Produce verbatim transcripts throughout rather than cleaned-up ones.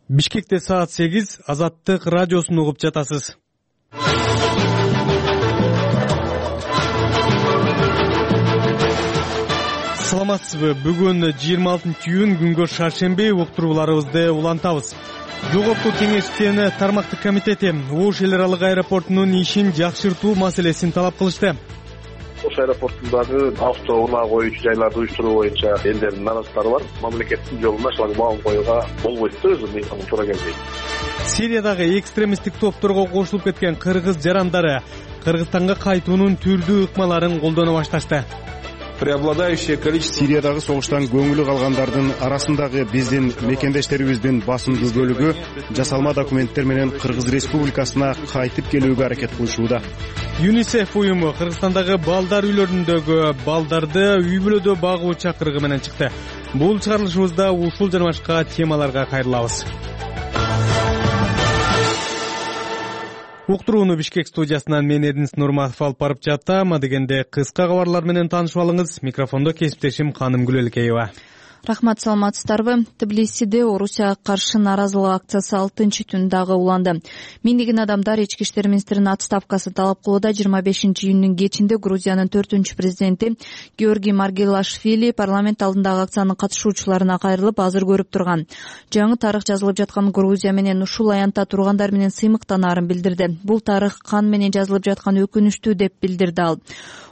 Бишкекте саат сегиз, Азаттык радиосун угуп жатасыз. Саламатсызбы? Бүгүн жыйырма алтынчы июнь күнгө шаршемби, уктурууларыбызды улантабыз. Жогорку Кеңештин тармактык комитети Ош эл аралык аэропортунун ишин жакшыртуу маселесин талап кылышты. Ош аэропортундагы авто унаа коюучу жайларды уюштуруу боюнча элдердин наразылыктары бар. Мамлекеттин жолуна шлагбаум коюуга болбойт да, өзү мыйзам туура келбейт. Сириядагы экстремисттик топторго кошулуп кеткен кыргыз жарандары Кыргызстанга кайтуунун түрдүү ыкмаларын колдоно башташты. Преобладающее количество Сириядагы согуштан көңүлү калгандардын арасындагы биздин мекендештерибиздин басымдуу бөлүгү жасалма документтер менен Кыргыз Республикасына кайтып келүүгө аракет кылышууда. ЮНИСЕФ уюму Кыргызстандагы балдар үйлөрүндөгү балдарды үй бүлөдө багуу чакырыгы менен чыкты. Бул чыгарылышыбызда ушул жана башка темаларга кайрылабыз. Уктурууну Бишкек студиясынан мен Эрдинис Нурматов алып барып жатам. Адегенде кыска кабарлар менен таанышып алыңыз. Микрофондо кесиптешим Каным Гүлөлкеева. Рахмат, саламатсыздарбы? Тбилисиде Орусияга каршы нааразылык акциясы алтынчы түн дагы уланды. Миңдеген адамдар ички иштер министринин отставкасын талап кылууда. жыйырма бешинчи июнүнүн кечинде Грузиянын төртүнчү президенти Георгий Маргелашвили парламент алдындагы акциянын катышуучуларына кайрылып, азыр көрүп турган жаңы тарых жазылып жаткан Грузия менен ушул аянтта тургандар менен сыймыктанаарын билдирди. Бул тарых кан менен жазылып жаткан өкүнүчтүү деп билдирди ал.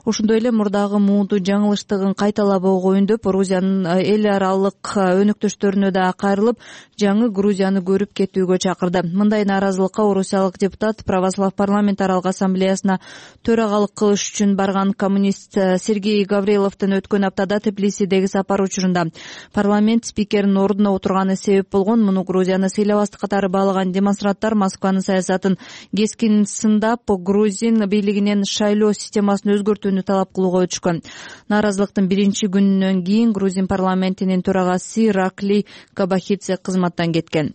Ошондой эле мурдагы муунтуу жаңылыштыгын кайталабоо коюндуп, Грузиянын эл аралык өнөктөштөрүнө да кайрылып, жаңы Грузияны көрүп кетүүгө чакырды. Мындай нааразылыкка орусиялык депутат Православ парламент аралык ассамблеясына төрагалык кылыш үчүн барган коммунист Сергей Гавриловдун өткөн аптада Тбилисидеги сапар учурунда парламент спикеринин ордуна отурганы себеп болгон. Муну Грузияны сыйлабастык катары баалаган демонстранттар Москванын саясатын кескин сындап, Грузин бийлигинен шайлоо системасын өзгөртүүнү талап кылууга өтүшкөн. Нааразылыктын биринчи күнүнөн кийин Грузин парламентинин төрагасы Иракли Кабахидзе кызматтан кеткен.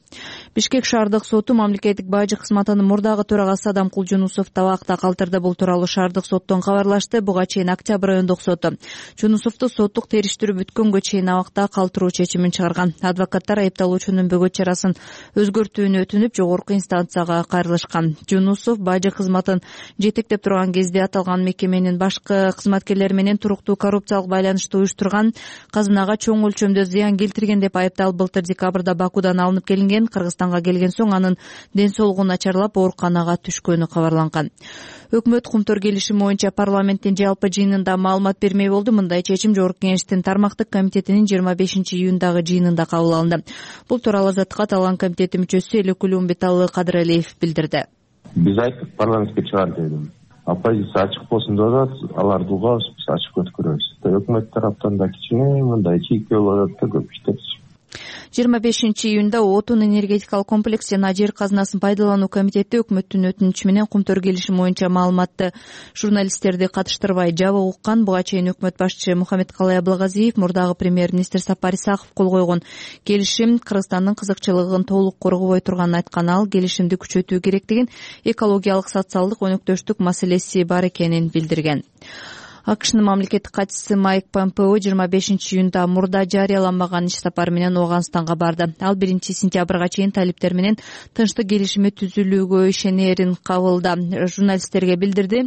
Бишкек шаардык соту мамлекеттик бажы кызматынын мурдагы төрагасы Адам Кулжунусовду абакта калтырды. Бул тууралуу шаардык соттон кабарлашты. Буга чейин Октябрь райондук соту Жунусовду соттук териштирүү бүткөнгө чейин абакта калтыруу чечимин чыгарган. Адвокаттар айыпталуучунун бөгөт чарасын өзгөртүүнү өтүнүп, жогорку инстанцияга кайрылышкан. Жунусов бажы кызматын жетектеп турган кезде аталган мекеменин башкы кызматкерлери менен туруктуу коррупциялык байланышты уюштурган, казынага чоң өлчөмдө зыян келтирген деп айыпталып, былтыр декабрда Бакудан алынып келинген. Кыргызстанга келген соң анын ден соолугу начарлап, ооруканага түшкөнү кабарланган. Өкмөт кумтөр келишими боюнча парламенттин жалпы жыйынында маалымат бермей болду. Мындай чечим Жогорку Кеңештин тармактык комитетинин жыйырма бешинчи июндагы жыйынында кабыл алынды. Бул тууралуу Азаттыкка талган комитети мүчөсү Элекул Умбеталы Кадыралиев билдирди. Биз айттык, парламентке чыгар дедим. Оппозиция ачык болсун деп атат, аларды угабыз, биз ачык өткөрөбүз. Өкмөт тараптан да кичине мындай чийкөө болуп атат да, көп иштер. жыйырма бешинчи июнда отун энергетикалык комплекс жана жер казынасын пайдалануу комитети өкмөттүн өтүнүчү менен кумтөр келишими боюнча маалыматты журналисттерди катыштырбай жабык уккан. Буга чейин өкмөт башчы Мухаммедкалый Абылгазиев, мурдагы премьер-министр Сапар Исаков кол койгон келишим Кыргызстандын кызыкчылыгын толук коргобой турганын айткан ал, келишимди күчөтүү керектигин, экологиялык, социалдык өнөктөштүк маселеси бар экенин билдирген. АКШнын мамлекеттик катчысы Майк Помпео жыйырма бешинчи июнда мурда жарыяламаган иш сапары менен Ооганстанга барды. Ал биринчи сентябрга чейин талиптер менен тынчтык келишими түзүлүүгө ишенерин кабылда журналисттерге билдирди.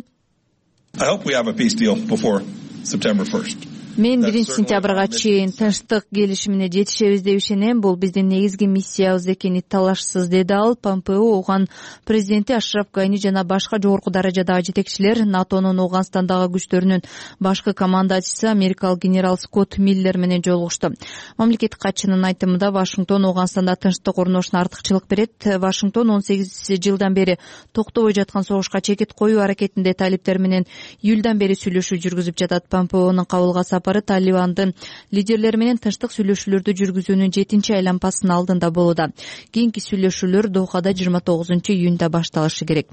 Мен биринчи сентябрга чейин тынчтык келишимине жетишебиз деп ишенем. Бул биздин негизги миссиябыз экени талашсыз, деди ал. Помпео Ооган президенти Ашраф Гани жана башка жогорку даражадагы жетекчилер, НАТОнун Ооганстандагы күчтөрүнүн башкы командачысы америкалык генерал Скотт Миллер менен жолугушту. Мамлекеттик катчынын айтымында Вашингтон Ооганстанда тынчтык орношуна артыкчылык берет. Вашингтон он сегиз жылдан бери токтобой жаткан согушка чекит коюу аракетинде талиптер менен июлдан бери сүйлөшүү жүргүзүп жатат. Помпеонун кабылга сапары Талибандын лидерлери менен тынчтык сүйлөшүүлөрдү жүргүзүүнүн жетинчи айланпасынын алдында болууда. Кийинки сүйлөшүүлөр Дохада жыйырма тогузунчу июнда башталышы керек.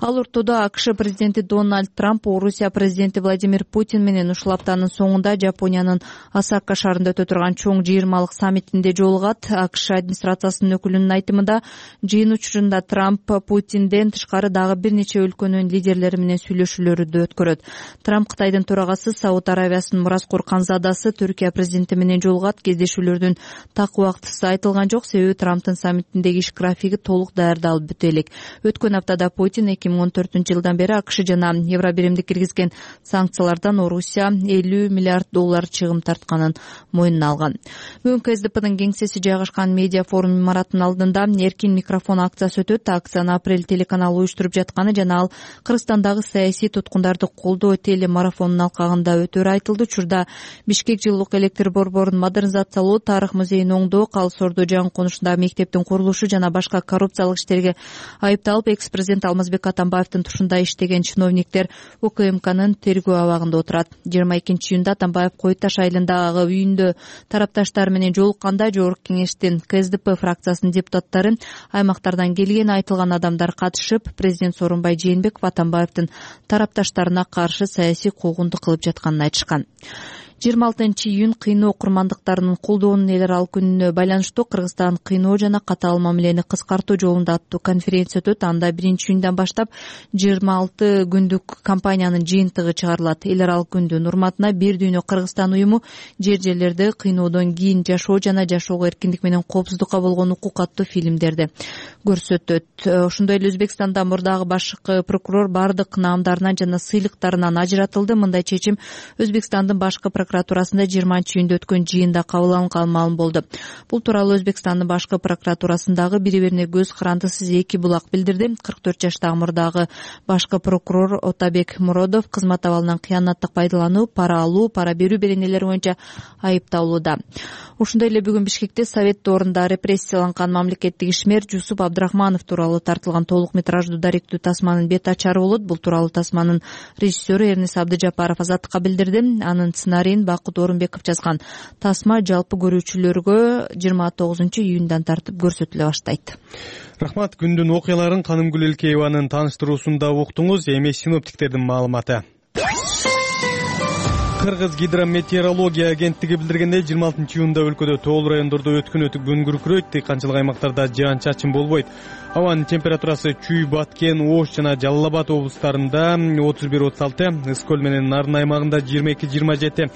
Ал ортодо АКШ президенти Дональд Трамп Орусия президенти Владимир Путин менен ушул аптанын соңунда Жапониянын Осака шаарында өтө турган чоң жыйырмалык саммитинде жолугат. АКШ администрациясынын өкүлүнүн айтымында, жыйын учурунда Трамп Путинден тышкары дагы бир нече өлкөнүн лидерлери менен сүйлөшүүлөрдү өткөрөт. Трамп Кытайдын төрагасы Сауд Аравиясынын мурас Озкур Канзадасы Түркия президенти менен жолугат. Кездешүүлөрдүн так убактысы айтылган жок, себеби Трамптын саммитиндеги иш графиги толук даярдалып бүтө элек. Өткөн аптада Путин эки миң он төртүнчү жылдан бери АКШ жана Евробиримди киргизген санкциялардан Орусия элүү миллиард доллар чыгым тартканын мойнуна алган. Бүгүн КСДПнын кеңсеси жайгашкан медиа форум имараттын алдында эркин микрофон акциясы өтөт. Акцияны Апрель телеканалы уюштуруп жатканы жана ал Кыргызстандагы саясий туткундарды колдоо телемарафонунун алкагында өтөрү айтылды. Учурда Бишкек жылуулук электр борборун модернизациялоо, тарых музейин оңдоо, Калыс Ордо жаңы конушундагы мектептин курулушу жана башка коррупциялык иштерге айыпталып, экс-президент Алмазбек Атамбаевдин тушунда иштеген чиновниктер УКМКнын тергөө абагында отурат. жыйырма экинчи июнда Атамбаев Кой Таш айылындагы үйүндө тарапташтар менен жолукканда Жогорку Кеңештин КСДП фракциясынын депутаттары, аймактардан келген айтылган адамдар катышып, президент Сооронбай Жээнбеков Атамбаевдин тарапташтарына каршы саясий куугунду кылып жатканын айтышкан. жыйырма алтынчы июнь кыйноо курмандыктарынын колдоонун эл аралык күнүнө байланыштуу Кыргызстан кыйноо жана катаал мамилени кыскартуу жолунда аттуу конференция өтөт. Анда биринчи июндан баштап жыйырма алты күндүк кампаниянын жыйынтыгы чыгарылат. Эл аралык күндүн урматына Бир дүйнө Кыргызстан уюму жер жерлерде кыйноодон кийин жашоо жана жашоого эркиндик менен коопсуздукка болгон укук аттуу фильмдерди көрсөтөт. Ошондой эле Өзбекстанда мурдагы башкы прокурор бардык наамдарынан жана сыйлыктарынан ажыратылды. Мындай чечим Өзбекстандын башкы прокуратурасында жыйырманчы июнда өткөн жыйында кабыл алынган маалым болду. Бул тууралуу Өзбекстандын башкы прокуратурасындагы бири-бирине көз карандысыз эки булак билдирди. кырк төрт жаштагы мурдагы башкы прокурор Отабек Муродов кызмат абалынан кыянаттык пайдалануу, пара алуу, пара берүү беренелери боюнча айыпталууда. Ошондой эле бүгүн Бишкекте Совет доорунда репрессияланган мамлекеттик ишмер Жусуп Абдрахманов тууралуу тартылган толук метраждуу даректүү тасманын бет ачары болот. Бул тууралуу тасманын режиссеру Эрнис Абдыжапаров Азаттыкка билдирди. Анын сценарийин Бакыт Орунбеков жазган. Тасма жалпы көрүүчүлөргө жыйырма тогузунчу июндан тартып көрсөтүлө баштайт. Рахмат. Күндүн окуяларын Канымгүл Элкееванын тааныштыруусунда уктуңуз. Эми синоптиктердин маалыматы. Кыргыз гидрометеорология агенттиги билдиргендей, жыйырма алтынчы июнда өлкөдө тоол райондордо өткөн күн күркүрөйт, дыйканчылык аймактарда жаан-чачын болбойт. Абанын температурасы Чүй, Баткен, Ош жана Жалал Абад облустарында отуз бир отуз алты, Ыскөл менен Нарын аймагында жыйырма эки жыйырма жети,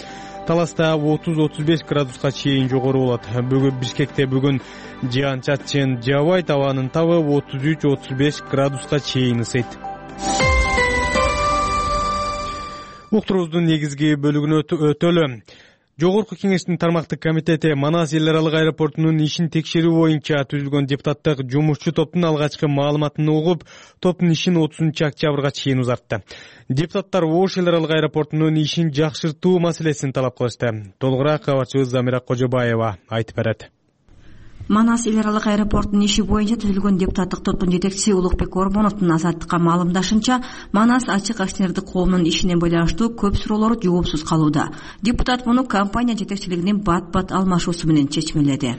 Таласта отуз отуз беш градуска чейин жогору болот. Бүгүн Бишкекте бүгүн жаан-чачын жаабайт, абанын табы отуз үч отуз беш градуска чейин ысыйт. Уктуруубуздун негизги бөлүгүнө өтөлү. Жогорку Кеңештин тармактык комитети Манас эл аралык аэропортунун ишин текшерүү боюнча түзүлгөн депутаттык жумушчу топтун алгачкы маалыматын угуп, топтун ишин отузунчу октябрга чейин узартты. Депутаттар Ош эл аралык аэропортунун ишин жакшыртуу маселесин талап кылышты. Толугураак кабарчыбыз Замира Кожобаева айтып берет. Манас эл аралык аэропортунун иши боюнча түзүлгөн депутаттык топтун жетекчиси Улукбек Ормоновдун Азаттыкка маалымдашынча, Манас ачык акционердик коомунун ишине байланыштуу көп суроолор жоопсуз калууда. Депутат муну компания жетекчилигинин бат-бат алмашуусу менен чечмеледи.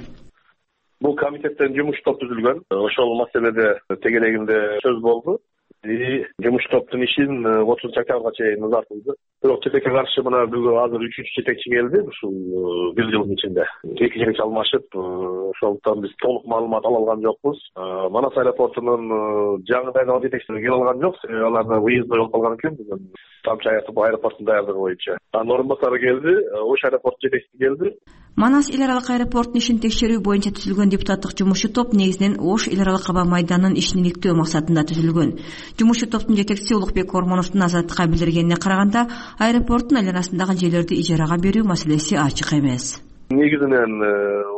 Бул комитеттен жумуш топ түзүлгөн. Ошол маселеде тегерегинде сөз болду. И жумуш топтун ишин отузунчу октябрга чейин узартылды. Бирок четекке каршы мына бүгүн азыр үчүнчү жетекчи келди ушул бир жылдын ичинде. Эки жетекчи алмашып, ошондуктан биз толук маалымат ала алган жокпуз. Манас аэропортунун жаңы дайындалган жетекчилери келе алган жок. Аларда выездной болуп калган экен бүгүн. Тамчы аэропорттун даярдыгы боюнча. Анын орун басары келди, Ош аэропорту жетекчиси келди. Манас эл аралык аэропортунун ишин текшерүү боюнча түзүлгөн депутаттык жумушчу топ негизинен Ош эл аралык аба майданынын ишин иликтөө максатында түзүлгөн. Жумушчу топтун жетекчиси Улукбек Ормоновдун Азаттыкка билдиргенине караганда, аэропорттун айланасындагы жерлерди ижарага берүү маселеси ачык эмес. Негизинен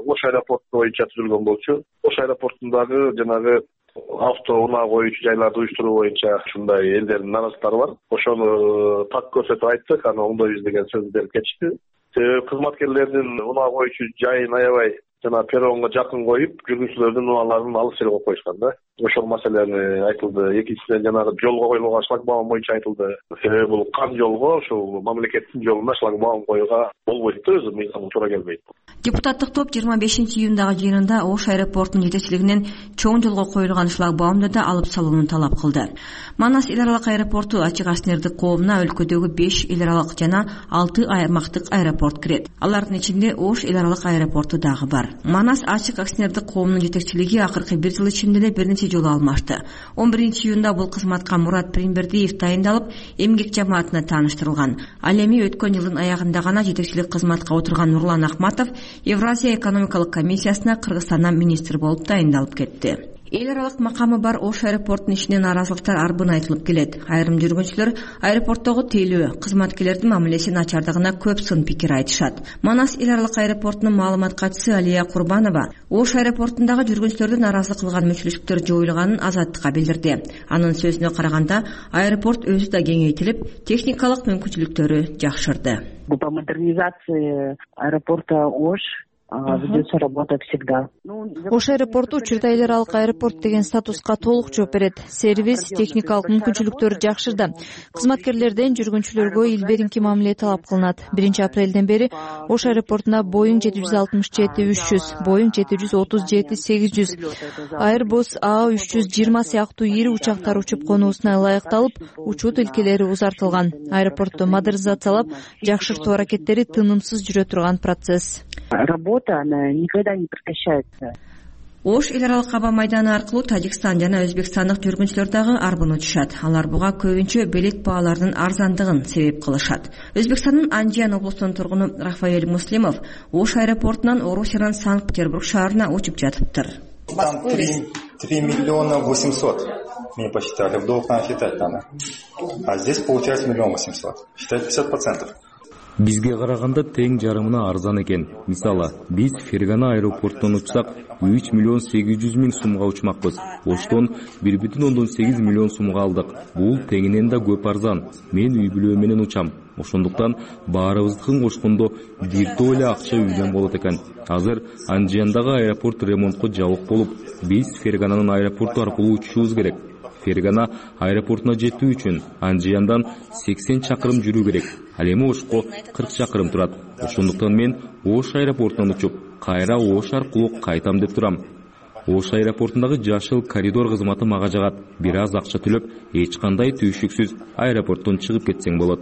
Ош аэропорту боюнча түзүлгөн болчу. Ош аэропортундагы жанагы авто унаа коюучу жайларды уюштуруу боюнча ушундай элдердин наразылыктары бар. Ошону так көрсөтүп айттык, аны оңдойбуз деген сөз берип кетишти. Кызматкерлердин унаа коюучу жайын аябай жана перронго жакын коюп, жүргүнчүлөрдүн унааларын алыс жерге коюп коюшкан да. Ошол маселени айтылды. Экинчиден жанагы жолго коюлган шлагбаум боюнча айтылды. Себеби бул кан жолго, ошол мамлекеттин жолуна шлагбаум коюуга болбойт да, өзү мыйзамга туура келбейт. Депутаттык топ жыйырма бешинчи июндагы жыйынында Ош аэропортунун жетекчилигинен чоң жолго коюлган шлагбаумду да алып салууну талап кылды. Манас эл аралык аэропорту ачык акционердик коомуна өлкөдөгү беш эл аралык жана алты аймактык аэропорт кирет. Алардын ичинде Ош эл аралык аэропорту дагы бар. Манас ачык акционердик коомунун жетекчилиги акыркы бир жыл ичинде эле бир нече жолу алмашты. он биринчи июнда бул кызматка Мурат Примбердиев дайындалып, эмгек жамаатына тааныштырылган. Ал эми өткөн жылдын аягында гана жетекчилик кызматка отурган Нурлан Ахматов Евразия экономикалык комиссиясына Кыргызстандан министр болуп дайындалып кетти. Эл аралык макамы бар Ош аэропортунун ишине нааразылыктар арбын айтылып келет. Айрым жүргүнчүлөр аэропорттогу тейлөө, кызматкерлердин мамилеси начардыгына көп сын пикир айтышат. Манас эл аралык аэропортунун маалымат катчысы Алия Курбанова Ош аэропортундагы жүргүнчүлөрдү нааразылык кылган мүчүлүштүктөр жоюлганын Азаттыкка билдирди. Анын сөзүнө караганда, аэропорт өзү да кеңейтилип, техникалык мүмкүнчүлүктөрү жакшырды. По модернизации аэропорта Ош ведется работа всегда. Ош аэропорту учурда эл аралык аэропорт деген статуска толук жооп берет. Сервис, техникалык мүмкүнчүлүктөр жакшырды. Кызматкерлерден жүргүнчүлөргө ил беринки мамиле талап кылынат. биринчи апрелден бери Ош аэропортуна Boeing жети жүз алтымыш жети үч жүз, Boeing жети жүз отуз жети сегиз жүз, Airbus А үч жүз жыйырма сыяктуу ири учактар учуп конуусуна ылайыкталып, учуу тилкелери узартылган. Аэропортту модернизациялап, жакшыртуу аракеттери тынымсыз жүрө турган процесс. Работа, она никогда не прекращается. Ош эл аралык аба майданы аркылуу Тажикстан жана Өзбекстандык жүргүнчүлөр дагы арбын учушат. Алар буга көбүнчө билет бааларынын арзандыгын себеп кылышат. Өзбекстандын Анжиян облусунун тургуну Рафаэль Муслимов Ош аэропортунан Орусиянын Санкт-Петербург шаарына учуп жатыптыр. Там три миллиона восемьсот. Мне посчитали, в долг надо считать надо. А здесь получается миллион восемьсот. Считать пятьдесят процентов. Бизге караганда тең жарымына арзан экен. Мисалы, биз Фергана аэропортунан учсак үч миллион сегиз жүз миң сумга учмакпыз. Оштон бир бүтүн ондон сегиз миллион сумга алдык. Бул тегинен да көп арзан. Мен үй бүлө менен учам. Ошондуктан баарыбыздыкын кошкондо бир топ эле акча үйдөн болот экен. Азыр Анжияндагы аэропорт ремонтко жабык болуп, биз Фергананын аэропорту аркылуу учушубуз керек. Фергана аэропортуна жетүү үчүн Анжияндан сексен чакырым жүрүү керек. Ал эми Ошко кырк чакырым турат. Ошондуктан мен Ош аэропортунан учуп, кайра Ош аркылуу кайтам деп турам. Ош аэропортундагы жашыл коридор кызматы мага жагат. Бир аз акча төлөп, эч кандай түйшүксүз аэропорттон чыгып кетсең болот.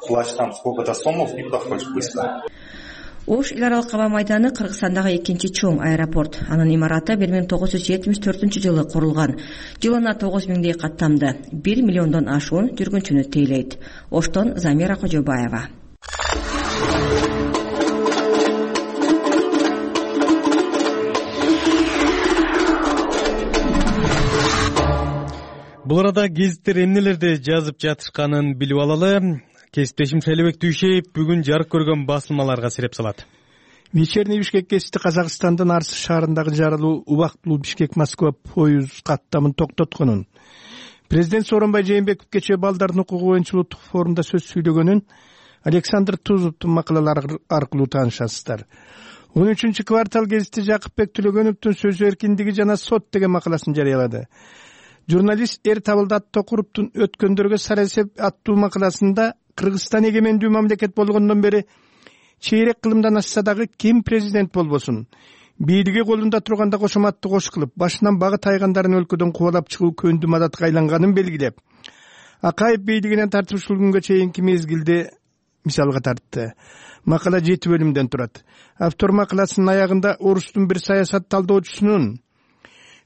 Плачь там сколько-то сомов и проходишь быстро. Ош эл аралык аба майданы Кыргызстандагы экинчи чоң аэропорт. Анын имараты бир миң тогуз жүз жетимиш төртүнчү жылы курулган. Жылына тогуз миңдей каттамды, бир миллиондон ашуун жүргүнчүнү тейлейт. Оштон Замира Кожобаева. Бул арада гезиттер эмнелерди жазып жатышканын билип алалы. Кесиптешим Шайлебек Түйшеев бүгүн жарык көргөн басылмаларга сиреп салат. Вечерний Бишкек гезити Казакстандын Арс шаарындагы жарылуу убактылуу Бишкек-Москва поюз каттамын токтотконун, президент Сооронбай Жээнбеков кечээ балдардын укугу боюнча улуттук форумда сөз сүйлөгөнүн Александр Тузовдун макалалары аркылуу таанышасыздар. он үчүнчү квартал гезити Жакыпбек Төлөгөновдун сөз эркиндиги жана сот деген макаласын жарыялады. Журналист Эр Табылдат Токуровдун өткөндөргө сарасеп аттуу макаласында Кыргызстан эгемендүү мамлекет болгондон бери чейрек кылымдан ашса дагы ким президент болбосун, бийлиги колунда турганда кошоматты кош кылып, башынан бага тайгандарын өлкөдөн кубалап чыгуу көндү мадатка айланганын белгилеп, Акаев бийлигинен тартып ушул күнгө чейинки мезгилде мисалга тартты. Макала жети бөлүмдөн турат. Автор макаласынын аягында орустун бир саясат талдоочусунун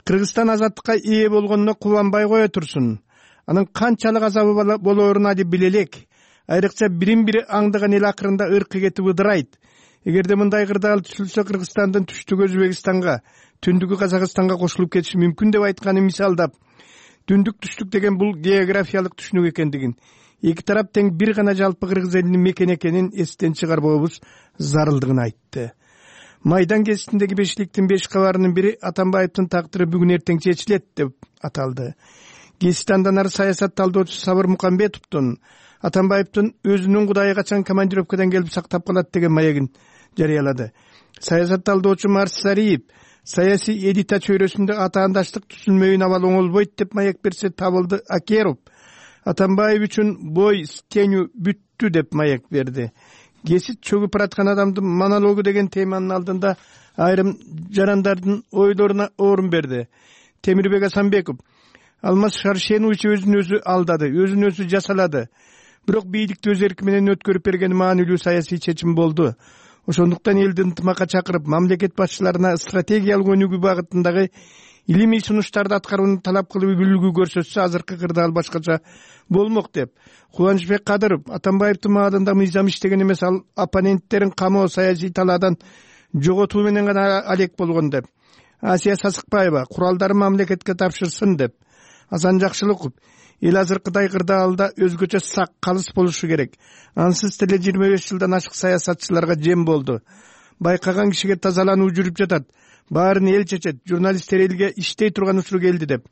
Кыргызстан азаттыкка ээ болгонуна кубанбай кое турсун, анын канчалык азабы болоорун али биле элек, айрыкча бирин-бири аңдыган эл акырында ыркы кетип ыдырайт. Эгерде мындай кырдаал түшүлсө Кыргызстандын түштүгү Өзбекстанга, түндүгү Казакстанга кошулуп кетиши мүмкүн деп айтканын мисалдап, түндүк түштүк деген бул географиялык түшүнүк экендигин, эки тарап тең бир гана жалпы кыргыз элинин мекен экенин эстен чыгарбообуз зарылдыгын айтты. Майдан гезитиндеги бешиктин беш кабарынын бири Атамбаевдин тагдыры бүгүн эртең чечилет деп аталды. Гезит андан ары саясат талдоочусу Сабыр Мукамбетовдун Атамбаевдин өзүнүн Кудайы качан командировкадан келип сактап калат деген маегин жарыялады. Саясат талдоочу Марс Сариев саясий элита чөйрөсүндө атаандаштык түзүлмөйүн абал оңолбойт деп маек берсе, Табылды Акеров Атамбаев үчүн бой тенүү бүттү деп маек берди. Гезит чөгүп бараткан адамдын монологу деген теманын алдында айрым жарандардын ойлоруна орун берди. Темирбек Асанбеков Алмаз Шаршенович өзүн өзү алдады, өзүн өзү жасалады. Бирок бийликти өз эрки менен өткөрүп берген маанилүү саясий чечим болду. Ошондуктан элди ынтымакка чакырып, мамлекет башчыларына стратегиялык өнүгүү багытындагы илимий сунуштарды аткарууну талап кылып үлгү көрсөтсө, азыркы кырдаал башкача болмок деп Кубанычбек Кадыров Атамбаевдин маалында мыйзам иштеген эмес, ал оппоненттерин камоо саясий талаадан жоготуу менен гана алек болгон деп. Асия Сасыкбаева куралдарын мамлекетке тапшырсын деп. Асан Жакшылыков эл азыркыдай кырдаалда өзгөчө сак, калыс болушу керек. Ансыз деле жыйырма беш жылдан ашык саясатчыларга жем болду. Байкаган кишиге тазалануу жүрүп жатат. Баарын эл чечет. Журналисттер элге иштей турган учур келди деп.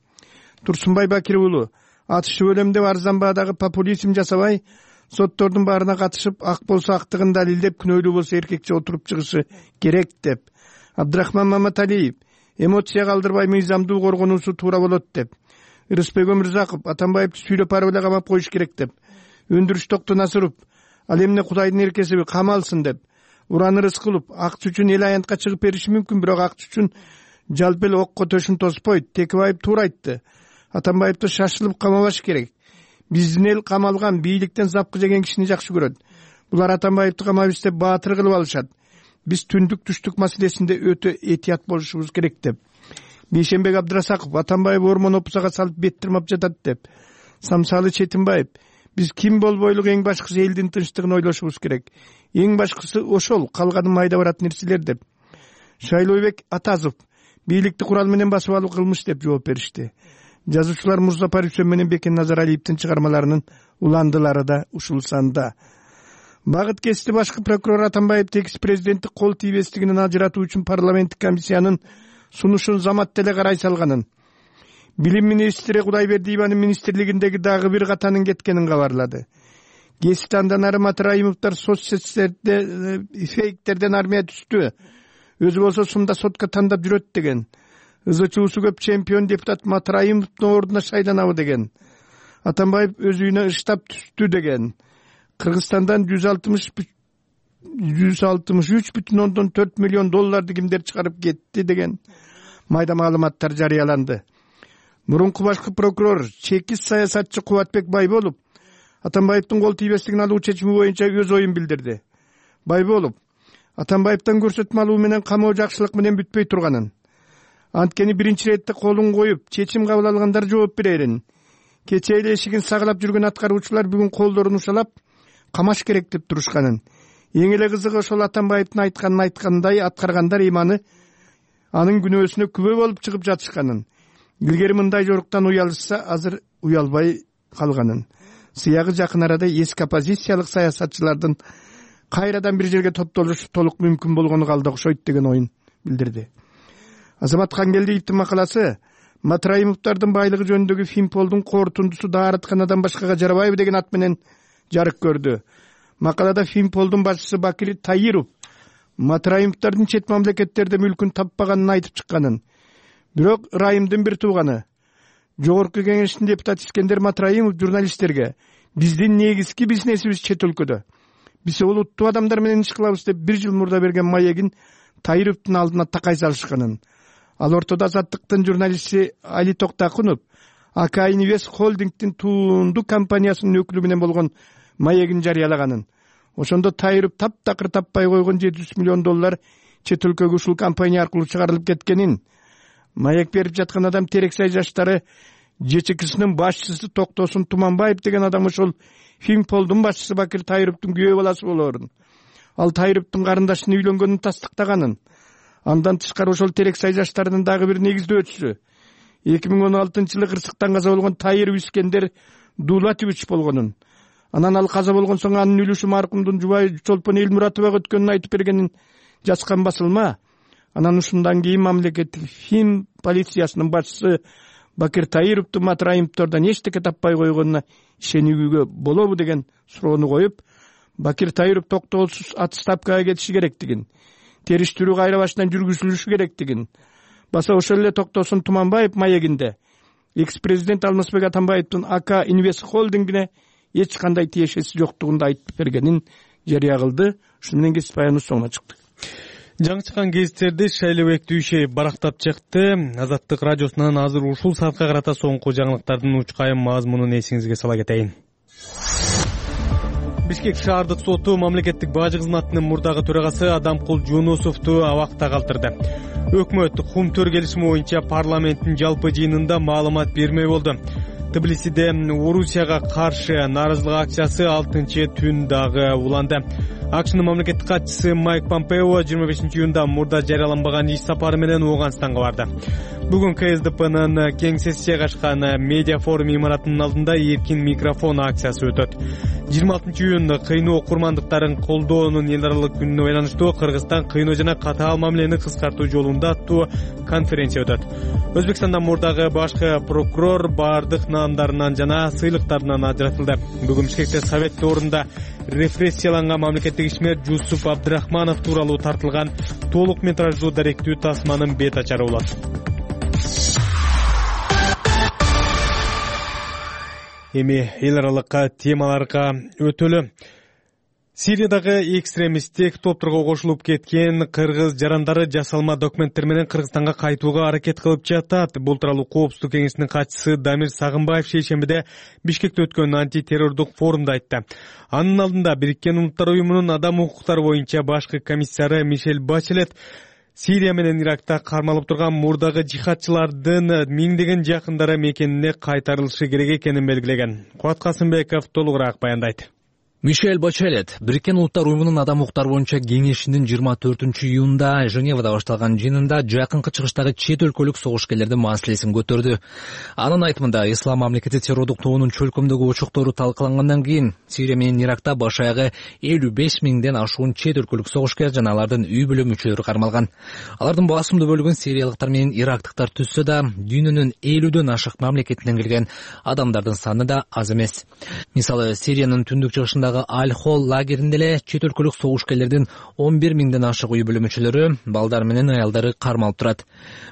Турсунбай Бакир уулу атышып өлөм деп арзан баадагы популизм жасабай, соттордун баарына катышып, ак болсо актыгын далилдеп, күнөөлүү болсо эркекче отуруп чыгышы керек деп. Абдрахман Маматалиев эмоция калдырбай мыйзамдуу коргонуусу туура болот деп. Рыспек Өмүрзаков Атамбаевди сүйлөп барып эле камап коюш керек деп. Өндүрүш Токтонасыров ал эмне Кудайдын эркесиби, камалсын деп. Уран Рыскулов акчы үчүн эл аянтка чыгып бериши мүмкүн, бирок акчы үчүн жалпы эле окко төшүн тоспойт. Текебаев туура айтты. Атамбаевди шашылып камабаш керек. Биздин эл камалган, бийликтен запкы жеген кишини жакшы көрөт. Булар Атамбаевди камап издеп баатыр кылып алышат. Биз түндүк түштүк маселесинде өтө этият болушубуз керек деп. Бейшенбек Абдрасаков Атамбаев ормон опусага салып бет тырмап жатат деп. Самсалы Четинбаев биз ким болбойлук, эң башкысы элдин тынчтыгын ойлошубуз керек. Эң башкысы ошол, калганы майда барат нерселер деп. Шайлообек Атазов бийликти курал менен басып алуу кылмыш деп жооп беришти. Жазуучулар Мурзапар Үсен менен Бекен Назаралиевдин чыгармаларынын уландылары да ушул санда. Багыт кести башкы прокурор Атамбаевди экс президенттик кол тийбестигинен ажыратуу үчүн парламенттик комиссиянын сунушун замат деле карай салганын, билим министри Кудайбердиеванын министрлигиндеги дагы бир катанын кеткенин кабарлады. Кести андан ары Матраимовдор соцсеттерде фейктерден армия түстү. Өзү болсо сумда сотко тандап жүрөт деген. Ызычуусу көп чемпион депутат Матраимовдун ордуна шайланабы деген. Атамбаев өз үйүнө ыштап түстү деген. Кыргызстандан жүз алтымыш үч бүтүн ондон төрт миллион долларды кимдер чыгарып кетти деген майда маалыматтар жарыяланды. Мурунку башкы прокурор чекис саясатчы Кубатбек Байболов Атамбаевдин кол тийбестигин алуу чечими боюнча өз оюн билдирди. Байболов Атамбаевден көрсөтмө алуу менен камоо жакшылык менен бүтпөй турганын, анткени биринчи иретте колун коюп чечим кабыл алгандар жооп берерин. Кечээ эле эшигин сагалап жүргөн аткаруучулар бүгүн колдорун ушалап камаш керек деп турушканын. Эң эле кызыгы ошол Атамбаевдин айтканын айткандай аткаргандар иманы анын күнөөсүнө күбө болуп чыгып жатышканын. Илгери мындай жоруктан уялышса, азыр уялбай калганын. Сыягы жакын арада эски оппозициялык саясатчылардын кайрадан бир жерге топтолушу толук мүмкүн болгону калды окшойт деген оюн билдирди. Азамат Кангелдиевдин макаласы Матраимовдордун байлыгы жөнүндөгү Финполдун корутундусу Daarатканадан башкага жарабайбы деген ат менен жарык көрдү. Макалада Финполдун башчысы Бакир Таиров Матраимовдордун чет мамлекеттерде мүлкүн таппаганын айтып чыкканын. Бирок Райымдын бир тууганы, Жогорку Кеңештин депутаты Искендер Матраимов журналисттерге биздин негизги бизнесибиз чет өлкөдө. Биз улуттуу адамдар менен иш кылабыз деп бир жыл мурда берген маегин Таировдун алдына такай салышканын. Ал ортодо Азаттыктын журналисти Али Токтакунов АК Инвест холдингдин туунду компаниясынын өкүлү менен болгон маегин жарыялаганын. Ошондо Таиров таптакыр таппай койгон жети жүз миллион доллар чет өлкөгө ушул компания аркылуу чыгарылып кеткенин, маек берип жаткан адам Терексай жаштары ЖЧКсынын башчысы Токтосун Туманбаев деген адам ошол Финполдун башчысы Бакир Таировдун күйөө баласы болоорун, ал Таировдун карындашынын үйлөнгөнүн тастыктаганын. Андан тышкары ошол Терексай жаштарынын дагы бир негиздөөчүсү эки миң он алтынчы жылы кырсыктан каза болгон Таиров Искендер Дулатович болгонун. Анан ал каза болгон соң анын үлүшү маркумдун жубайы Чолпон Элмуратовага өткөнүн айтып бергенин жазган басылма. Анан ушундан кийин мамлекеттик Фин полициясынын башчысы Бакир Таировдун Матраимовдордон эчтеке таппай койгонуна ишенүүгө болобу деген суроону коюп, Бакир Таиров токтоосуз отставкага кетиши керектигин, териштирүү кайра башынан жүргүзүлүшү керектигин, баса ошол эле Токтосун Туманбаев маегинде экс-президент Алмазбек Атамбаевдин АК Инвест холдингине эч кандай тиешеси жоктугун да айтып бергенин жарыя кылды. Ушуну менен кесип аяныбыз соңуна чыкты. Жаңы чыккан гезиттерди Шайлообек Дүйшеев барактап чыкты. Азаттык радиосунан азыр ушул саатка карата соңку жаңылыктардын учкайым мазмунун эсиңизге сала кетейин. Бишкек шаардык соту мамлекеттик бажы кызматынын мурдагы төрагасы Адамкул Жунусовду абакта калтырды. Өкмөт Хум төр келишими боюнча парламенттин жалпы жыйынында маалымат бермей болду. Тбилисиде Орусияга каршы нааразылык акциясы алтынчы түн дагы уланды. АКШнын мамлекеттик катчысы Майк Помпео жыйырма бешинчи июнда мурда жарыяланбаган иш сапары менен Ооганстанга барды. Бүгүн КСДПнын кең сессияга ачкан медиа форум имаратынын алдында эркин микрофон акциясы өтөт. жыйырма алтынчы июнь кыйноо окурмандыктарын колдоонун эл аралык күнүнө байланыштуу Кыргызстан кыйноо жана катаал мамилени кыскартуу жолунда аттуу конференция өтөт. Өзбекстандан мурдагы башкы прокурор бардык наамдарынан жана сыйлыктарынан ажыратылды. Бүгүн Бишкекте Совет орунда репрессияланган мамлекеттик ишмер Жусуп Абдрахманов тууралуу тартылган толук метраждуу даректүү тасманын бет ачары болот. Эми эл аралык темаларга өтөлү. Сириядагы экстремисттик топторго кошулуп кеткен кыргыз жарандары жасалма документтер менен Кыргызстанга кайтууга аракет кылып жатат. Бул тууралуу Коопсуздук кеңешинин катчысы Дамир Сагынбаев шейшембиде Бишкекте өткөн антитеррордук форумда айтты. Анын алдында Бириккен Улуттар уюмунун адам укуктары боюнча башкы комиссары Мишель Бачелет Сирия менен Иракта кармалып турган мурдагы жихадчылардын миңдеген жакындары мекенине кайтарылышы керек экенин белгилеген. Кубат Касымбеков толугураак баяндайт. Мишель Бачелет Бириккен Улуттар уюмунун адам укуктары боюнча кеңешинин жыйырма төртүнчү июнда Женевада башталган жыйынында жакынкы чыгыштагы чет өлкөлүк согушкерлердин маселесин көтөрдү. Анын айтымында Ислам мамлекети террордук тобунун чөлкөмдөгү очоктору талкалангандан кийин Сирия менен Иракта баш аягы элүү беш миңден ашуун чет өлкөлүк согушкер жана алардын үй бүлө мүчөлөрү кармалган. Алардын басымдуу бөлүгүн сириялыктар менен ирактыктар түзсө да, дүйнөнүн элүүдөн ашык мамлекетинен келген адамдардын саны да аз эмес. Мисалы, Сириянын түндүк чыгышында Аль-Хол лагеринде эле чет өлкөлүк согушкерлердин он бир миңден ашык үй бүлө мүчөлөрү, балдар менен аялдары кармалып турат.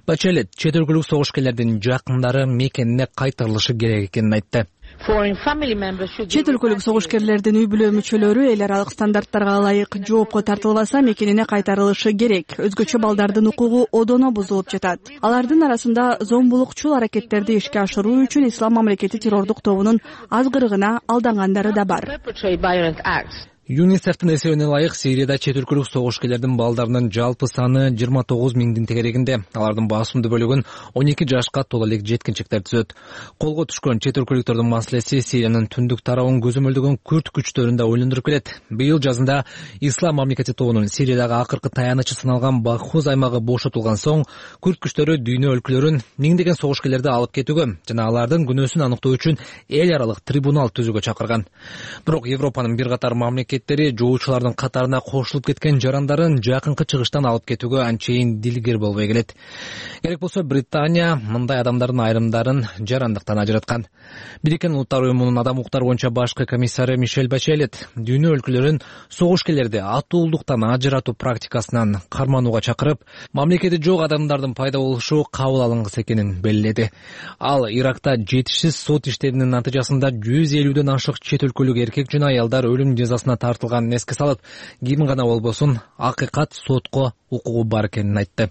Бачелет чет өлкөлүк согушкерлердин жакындары мекенине кайтарылышы керек экенин айтты. Чет өлкөлүк согушкерлердин үй бүлө мүчөлөрү эл аралык стандарттарга ылайык жоопко тартылбаса мекенине кайтарылышы керек. Өзгөчө балдардын укугу одоно бузулуп жатат. Алардын арасында зомбулукчул аракеттерди ишке ашыруу үчүн Ислам мамлекети террордук тобунун азгырыгына алдангандары да бар. ЮНИСЕФтин эсебине ылайык Сирияда чет өлкөлүк согушкерлердин балдарынын жалпы саны жыйырма тогуз миңдин тегерегинде. Алардын басымдуу бөлүгүн он эки жашка толо элек жеткинчектер түзөт. Колго түшкөн чет өлкөлүктөрдүн маселеси Сириянын түндүк тарабын көзөмөлдөгөн күрд күчтөрүндө ойлондуруп келет. Быйыл жазында Ислам мамлекети тобунун Сириядагы акыркы таянычы саналган Бахуз аймагы бошотулган соң күрд күчтөрү дүйнө өлкөлөрүн миңдеген согушкерлерди алып кетүүгө жана алардын күнөөсүн аныктоо үчүн эл аралык трибунал түзүүгө чакырган. Бирок Европанын бир катар мамлекет жоочулардын катарына кошулуп кеткен жарандарын жакынкы чыгыштан алып кетүүгө анчейин дилгер болбой келет. Керек болсо Британия мындай адамдардын айрымдарын жарандыктан ажыраткан. Бириккен Улуттар уюмунун адам укуктары боюнча башкы комиссары Мишель Бачелет дүйнө өлкөлөрүн согушкерлерди атуулдуктан ажыратуу практикасынан карманууга чакырып, мамлекети жок адамдардын пайда болушу кабыл алынгыс экенин белгиледи. Ал Иракта жетишсиз сот иштеринин натыйжасында жүз элүүдөн ашык чет өлкөлүк эркек жана аялдар өлүм жазасына тартылганын эске салып, ким гана болбосун акыйкат сотко укугу бар экенин айтты.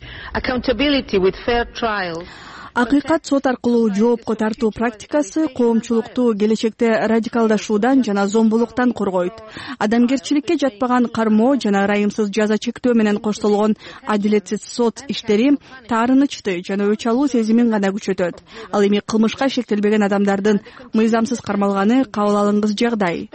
Акыйкат сот аркылуу жоопко тартуу практикасы коомчулукту келечекте радикалдашуудан жана зомбулуктан коргойт. Адамгерчиликке жатпаган кармоо жана ырайымсыз жаза чектөө менен коштолгон адилетсиз сот иштери таарынычты жана өч алуу сезимин гана күчөтөт. Ал эми кылмышка шектелбеген адамдардын мыйзамсыз кармалганы кабыл алынгыс жагдай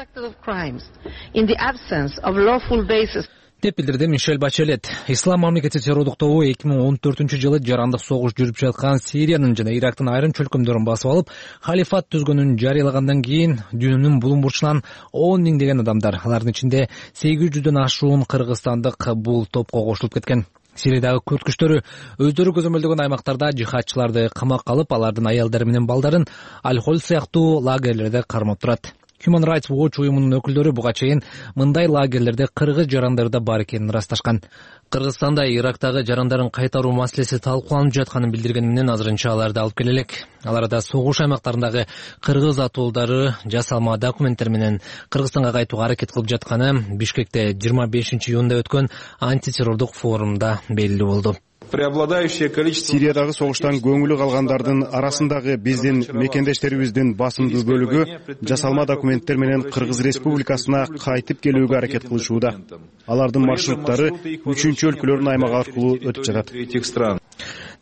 деп билдирди Мишель Бачелет. Ислам мамлекети террордук тобу эки миң он төртүнчү жылы жарандык согуш жүрүп жаткан Сириянын жана Ирактын айрым чөлкөмдөрүн басып алып, халифат түзгөнүн жарыялагандан кийин дүйнөнүн булуң бурчунан он миңдеген адамдар, алардын ичинде сегиз жүздөн ашуун кыргызстандык бул топко кошулуп кеткен. Сириядагы күрд күчтөрү өздөрү көзөмөлдөгөн аймактарда жихадчыларды камакка алып, алардын аялдары менен балдарын Аль-Хол сыяктуу лагерлерде кармап турат. Human Rights Watch уюмунун өкүлдөрү буга чейин мындай лагерлерде кыргыз жарандары да бар экенин ырасташкан. Кыргызстанда Ирактагы жарандарын кайтаруу маселеси талкууланып жатканын билдиргени менен азырынча аларды алып келе элек. Аларда согуш аймактарындагы кыргыз атуулдары жасалма документтер менен Кыргызстанга кайтууга аракет кылып жатканы Бишкекте жыйырма бешинчи июнда өткөн антитеррордук форумда белгилүү болду. преобладающее количество Сириядагы согуштан көңүлү калгандардын арасындагы биздин мекендештерибиздин басымдуу бөлүгү жасалма документтер менен Кыргыз Республикасына кайтып келүүгө аракет кылышууда. Алардын маршруттары үчүнчү өлкөлөрдүн аймагы аркылуу өтүп жатат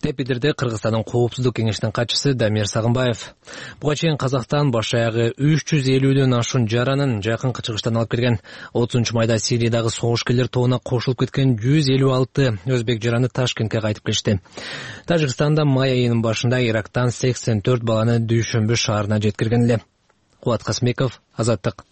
деп билдирди Кыргызстандын Коопсуздук кеңешинин катчысы Дамир Сагынбаев. Буга чейин Казакстан баш аягы үч жүз элүүдөн ашуун жаранын жакынкы чыгыштан алып келген. отузунчу майда Сириядагы согушкерлер тобуна кошулуп кеткен жүз элүү алты өзбек жараны Ташкентке кайтып келишти. Тажикстанда май айынын башында Ирактан сексен төрт баланы Дүйшөмбү шаарына жеткирген эле. Кубат Касмеков, Азаттык.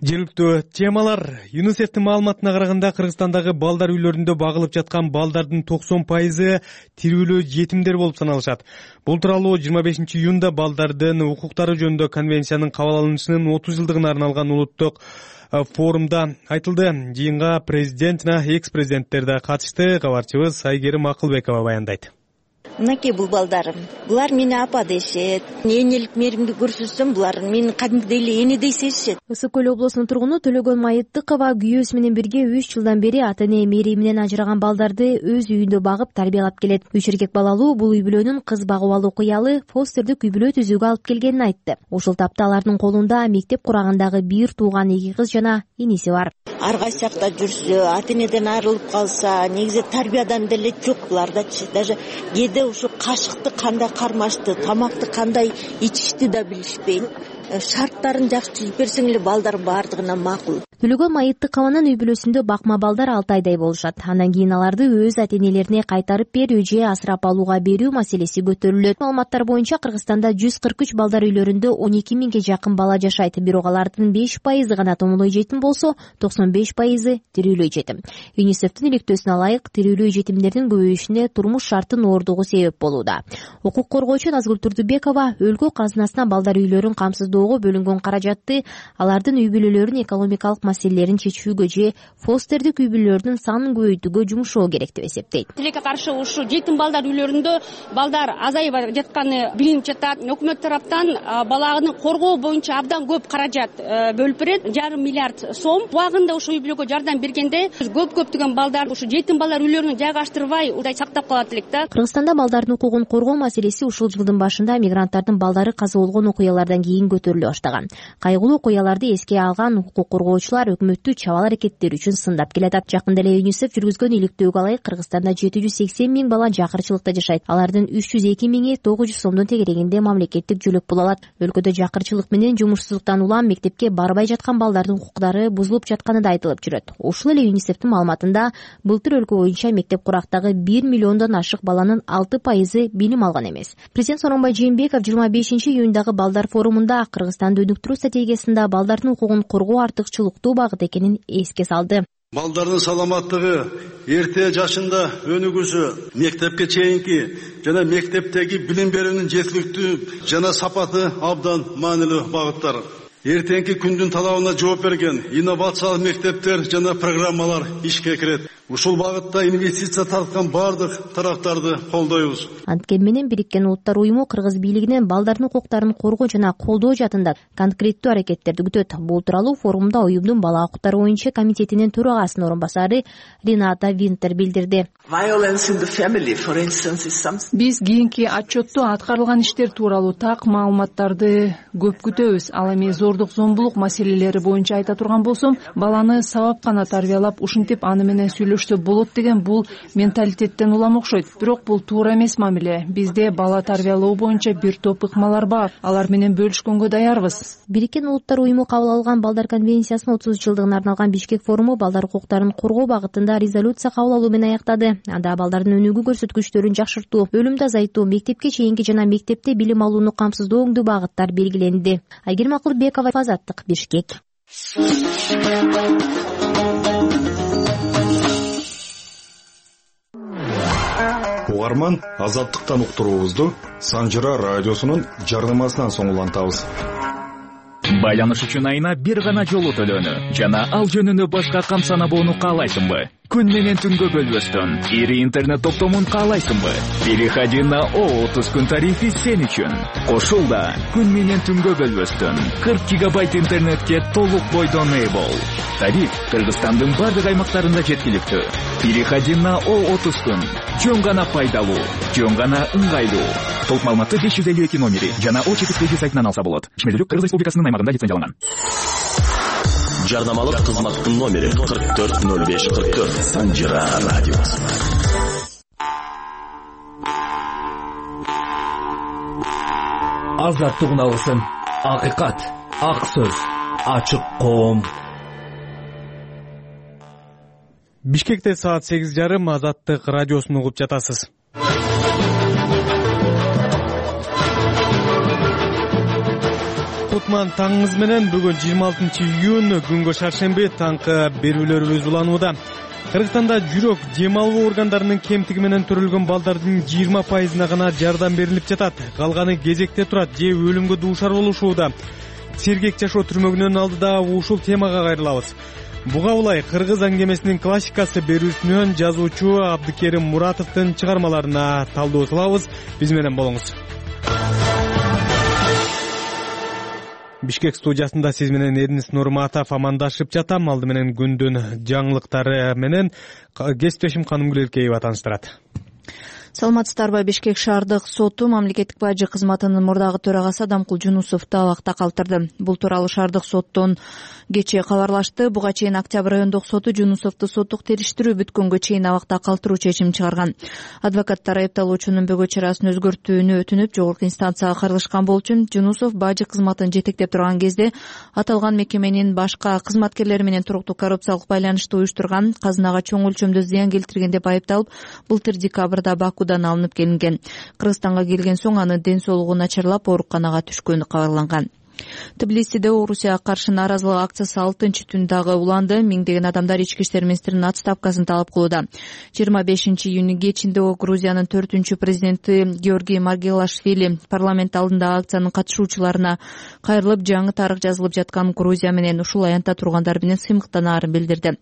Жергиликтүү темалар. ЮНИСЕФтин маалыматына караганда Кыргызстандагы балдар үйлөрүндө багылып жаткан балдардын токсон пайызы тирүүлүү жетимдер болуп саналышат. Бул тууралуу жыйырма бешинчи июнда балдардын укуктары жөнүндө конвенциянын кабыл алынышынын отуз жылдыгына арналган улуттук форумда айтылды. Жыйынга президент жана экс-президенттер да катышты. Кабарчыбыз Айгерим Акылбекова баяндайт. Мынакей бул балдарым. Булар мени апа дешет. Энелик мээримди көрсөтсөм, булар мени кадимгидей эле энедей сезишет. Ысык көл облусунун тургуну Төлөгөн Майыттыкова күйөөсү менен бирге үч жылдан бери ата-эне мээриминен ажыраган балдарды өз үйүндө багып тарбиялап келет. Үч эркек балалуу бул үй бүлөнүн кыз багып алуу кыялы фостердик үй бүлө түзүүгө алып келгенин айтты. Ушул тапта алардын колунда мектеп курагандагы бир тууган эки кыз жана иниси бар. Ар кайсакта жүрсө, ата-энеден айрылып калса, негизи тарбиядан деле жок булардачы. Даже кээде ушу кашыкты кандай кармашты, тамакты кандай ичишти да билишпейт. Шарттарын жакшы түзүп берсең эле балдар бардыгына макул. Төлөгөн Майыттыкованын үй бүлөсүндө бакма балдар алты айдай болушат. Андан кийин аларды өз ата-энелерине кайтарып берүү же асырап алууга берүү маселеси көтөрүлөт. Маалыматтар боюнча Кыргызстанда жүз кырк үч балдар үйлөрүндө он эки миңге жакын бала жашайт. Бирок алардын беш пайызы гана томолой жетим болсо, токсон беш пайызы тирүүлөй жетим. ЮНИСЕФтин иликтөөсүнө ылайык, тирүүлөй жетимдердин көбөйүшүнө турмуш шарттын оордугу себеп болууда. Укук коргоочу Назгүл Турдубекова өлкө казынасына балдар үйлөрүн камсыздоого бөлүнгөн каражатты алардын үй бүлөлөрүнүн экономикалык маселелерин чечүүгө же фостердик үй бүлөлөрдүн санын көбөйтүүгө жумшоо керек деп эсептейт. Тилекке каршы ушу жетим балдар үйлөрүндө балдар азайып жатканы билинип жатат. Өкмөт тараптан баланы коргоо боюнча абдан көп каражат бөлүп берет, жарым миллиард сом. Убагында ушу үй бүлөгө жардам бергенде көп көптөгөн балдар ушу жетим балдар үйлөрүнө жайгаштырбай удай сактап калат элек да. Кыргызстанда балдардын укугун коргоо маселеси ушул жылдын башында мигранттардын балдары каза болгон окуялардан кийин көтөрүлө баштаган. Кайгылуу окуяларды эске алган укук коргоочулар өкмөттү чабал аракеттери үчүн сындап келатат. Жакында эле ЮНИСЕФ жүргүзгөн иликтөөгө ылайык Кыргызстанда жети жүз сексен миң бала жакырчылыкта жашайт. Алардын үч жүз эки миңи тогуз жүз сомдун тегерегинде мамлекеттик жөлөк боло алат. Өлкөдө жакырчылык менен жумушсуздуктан улам мектепке барбай жаткан балдардын укуктары бузулуп жатканы да айтылып жүрөт. Ушул эле ЮНИСЕФтин маалыматында былтыр өлкө боюнча мектеп курактагы бир миллиондон ашык баланын алты пайызы билим алган эмес. Президент Сооронбай Жээнбеков жыйырма бешинчи июндагы балдар форумунда Кыргызстанды өнүктүрүү стратегиясында балдардын укугун коргоо артыкчылыктуу багыт экенин эске салды. Балдардын саламаттыгы, эрте жашында өнүгүүсү, мектепке чейинки жана мектептеги билим берүүнүн жеткиликтүү жана сапаты абдан маанилүү багыттар. Эртеңки күндүн талабына жооп берген инновациялык мектептер жана программалар ишке кирет. Ушул багытта инвестиция тарткан бардык тараптарды колдойбуз. Анткени менен Бириккен Улуттар уюму Кыргыз бийлигинен балдардын укуктарын коргоо жана колдоо жаатында конкреттүү аракеттерди күтөт. Бул тууралуу форумда уюмдун бала укуктары боюнча комитетинин төрагасынын орун басары Рената Винтер билдирди. Биз кийинки отчетту аткарылган иштер тууралуу так маалыматтарды көп күтөбүз. Ал эми зордук зомбулук маселелери боюнча айта турган болсом, баланы сабап гана тарбиялап, ушинтип аны менен сүйлөшсө болот деген бул менталитеттен улам окшойт. Бирок бул туура эмес мамиле. Бизде бала тарбиялоо боюнча бир топ ыкмалар бар. Алар менен бөлүшкөнгө даярбыз. Бириккен Улуттар уюму кабыл алган балдар конвенциясынын отуз жылдыгына арналган Бишкек форуму балдар укуктарын коргоо багытында резолюция кабыл алуу менен аяктады. Анда балдардын өнүгүү көрсөткүчтөрүн жакшыртуу, өлүмдү азайтуу, мектепке чейинки жана мектепте билим алууну камсыздоо өңдүү багыттар белгиленди. Айгерим Акылбекова, Азаттык, Бишкек. Угарман, Азаттыктан уктуруубузду Санжыра радиосунун жардамасынан соң улантабыз. Байланыш үчүн айына бир гана жолу төлөөнү жана ал жөнүндө башка камсанабоону каалайсыңбы? күн менен түнгө бөлбөстөн ири интернет топтомун каалайсыңбы? Переходи на О отуз күн тарифи сен үчүн. Кошул да күн менен түнгө бөлбөстөн кырк гигабайт интернетке толук бойдон ээ бол. Тариф Кыргызстандын бардык аймактарында жеткиликтүү. Переходи на О отуз күн. Жөн гана пайдалуу, жөн гана ыңгайлуу. Толук маалыматты беш жүз элүү эки номери жана О чети кредит сайтынан алса болот. Ишмердүүлүк Кыргыз Республикасынын аймагында лицензияланган. Жарнамалык кызматтын номери кырк төрт ноль беш кырк төрт. Санжира радиосу. Азаттык алсын. Акыйкат, ак сөз, ачык коом. Бишкекте саат сегиз жарым Азаттык радиосун угуп жатасыз. Кутман таңыңыз менен бүгүн жыйырма алтынчы июнь күнгө шаршемби таңкы берүүлөрүбүз уланууда. Кыргызстанда жүрөк дем алуу органдарынын кемтиги менен төрөлгөн балдардын жыйырма пайызына гана жардам берилип жатат. Калганы кезекте турат же өлүмгө дуушар болушууда. Сергек жашоо түрмөгүнүн алдыда ушул темага кайрылабыз. Буга улай кыргыз аңгемесинин классикасы берүүсүнөн жазуучу Абдыкерим Муратовдун чыгармаларына талдоо салабыз. Биз менен болуңуз. Бишкек студиясында сиз менен Эрнис Нурматов амандашып жатам. Алды менен күндүн жаңылыктары менен кесиптешим Канымгүл Эркеева тааныштырат. Саламатсыздарбы? Бишкек шаардык соту мамлекеттик бажы кызматынын мурдагы төрагасы Адамкул Жунусовду абакта калтырды. Бул тууралуу шаардык соттон кечээ кабарлашты. Буга чейин Октябрь райондук соту Жунусовду соттук териштирүү бүткөнгө чейин абакта калтыруу чечим чыгарган. Адвокаттар айыпталуучунун бөгө чарасын өзгөртүүнү өтүнүп, жогорку инстанцияга кайрылышкан болчу. Жунусов бажы кызматын жетектеп турган кезде аталган мекеменин башка кызматкерлери менен туруктуу коррупциялык байланышты уюштурган, казынага чоң өлчөмдө зыян келтирген деп айыпталып, былтыр декабрда Бакудан алынып келинген. Кыргызстанга келген соң анын ден соолугу начарлап ооруканага түшкөнү кабарланган. Тбилисиде Орусияга каршы нааразылык акциясы алтынчы түн дагы уланды. Миңдеген адамдар ички иштер министринин отставкасын талап кылууда. жыйырма бешинчи июнь кечинде Грузиянын төртүнчү президенти Георгий Маргелашвили парламент алдындагы акциянын катышуучуларына кайрылып, жаңы тарых жазылып жаткан Грузия менен ушул аянтта тургандар менен сыймыктанаарын билдирди.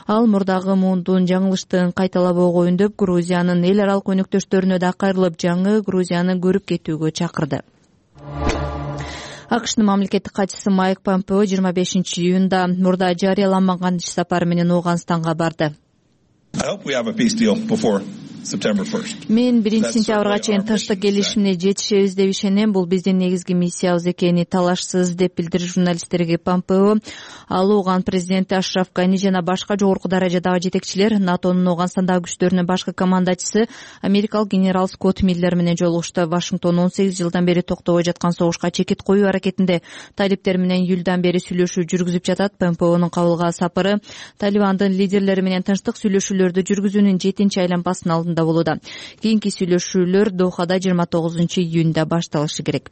Ал мурдагы муундун жаңылыштыгын кайталабоого үндөп, Грузиянын эл аралык өнөктөштөрүнө да кайрылып, жаңы Грузияны көрүп кетүүгө чакырды. АКШнын мамлекеттик катчысы Майк Помпео жыйырма бешинчи июнда мурда жарыяланбаган иш сапары менен Ооганстанга барды. Мен биринчи сентябрга чейин тынчтык келишимине жетишебиз деп ишенем. Бул биздин негизги миссиябыз экени талашсыз деп билдирди журналисттерге Помпео. Ал Ооган президенти Ашраф Гани жана башка жогорку даражадагы жетекчилер, НАТОнун Ооганстандагы күчтөрүнүн башкы командачысы америкалык генерал Скотт Миллер менен жолугушту. Вашингтон он сегиз жылдан бери токтобой жаткан согушка чекит коюу аракетинде талиптер менен июлдан бери сүйлөшүү жүргүзүп жатат. Помпеонун кабылга сапары Талибандын лидерлери менен тынчтык сүйлөшүүлөрдү жүргүзүүнүн жетинчи айланпасынын алдында болууда. Кийинки сүйлөшүүлөр Дохада жыйырма тогузунчу июнда башталышы керек.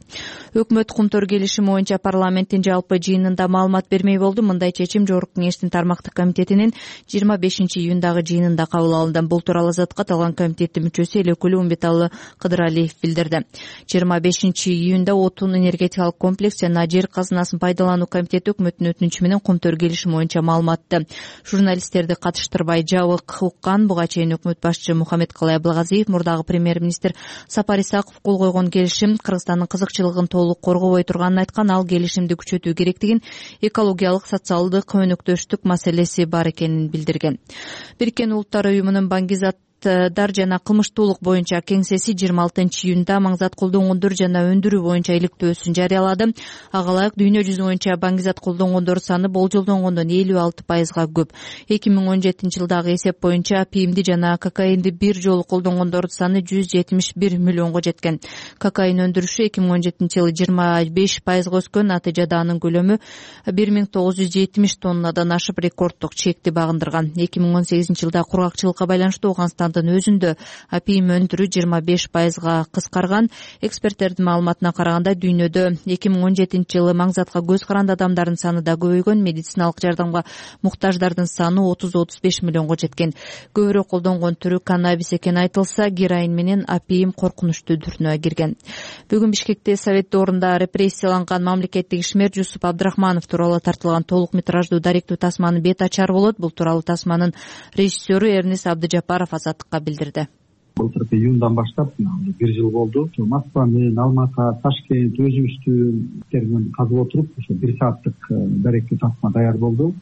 Өкмөт кумтөр келишими боюнча парламенттин жалпы жыйынында маалымат бермей болду. Мындай чечим Жогорку кеңештин тармактык комитетинин жыйырма бешинчи июндагы жыйынында кабыл алынды. Бул тууралуу Азаттыкка аталган комитеттин мүчөсү Элекулу Умбеталы Кыдыралиев билдирди. жыйырма бешинчи июнда отун энергетикалык комплекс жана жер казынасын пайдалануу комитети өкмөттүн өтүнүчү менен кумтөр келишими боюнча маалыматты журналисттерди катыштырбай жабык уккан. Буга чейин өкмөт башчы Мухаммед Калай Абылгазиев мурдагы премьер-министр Сапар Исаков кол койгон келишим Кыргызстандын кызыкчылыгын толук коргобой турганын айткан. Ал келишимди күчөтүү керектигин, экологиялык, социалдык өнөктөштүк маселеси бар экенин билдирген. Бириккен Улуттар уюмунун Баңгизат дар жана кылмыштуулук боюнча кеңсеси жыйырма алтынчы июнда маңзат колдонгондор жана өндүрүү боюнча иликтөөсүн жарыялады. Ага ылайык дүйнө жүзү боюнча баңгизат колдонгондор саны болжолдонгондон элүү алты пайызга көп. эки миң он жетинчи жылдагы эсеп боюнча пимди жана кокаинди бир жолу колдонгондордун саны жүз жетимиш бир миллионго жеткен. Кокаин өндүрүшү эки миң он жетинчи жылы жыйырма беш пайызга өскөн. Натыйжада анын көлөмү бир миң тогуз жүз жетимиш тоннадан ашып рекорддук чекти багындырган. эки миң он сегизинчи жылда кургакчылыкка байланыштуу Ооганстан жылдын өзүндө апийим өндүрүү жыйырма беш пайызга кыскарган. Эксперттердин маалыматына караганда дүйнөдө эки миң он жетинчи жылы маңзатка көз каранды адамдардын саны да көбөйгөн, медициналык жардамга муктаждардын саны отуз отуз беш миллионго жеткен. Көбүрөөк колдонгон түрү каннабис экени айтылса, героин менен апийим коркунучтуу дүртүнө кирген. Бүгүн Бишкекте Совет доорунда репрессияланган мамлекеттик ишмер Жусуп Абдрахманов тууралуу тартылган толук метраждуу даректүү тасманын бет ачары болот. Бул тууралуу тасманын режиссеру Эрнис Абдыжапаров Азаттыкка билдирди. Былтыр июндан баштап бир жыл болду. Москва менен Алматы, Ташкент өзүбүздүн казып отуруп, ошо бир сааттык даректүү тасма даяр болду.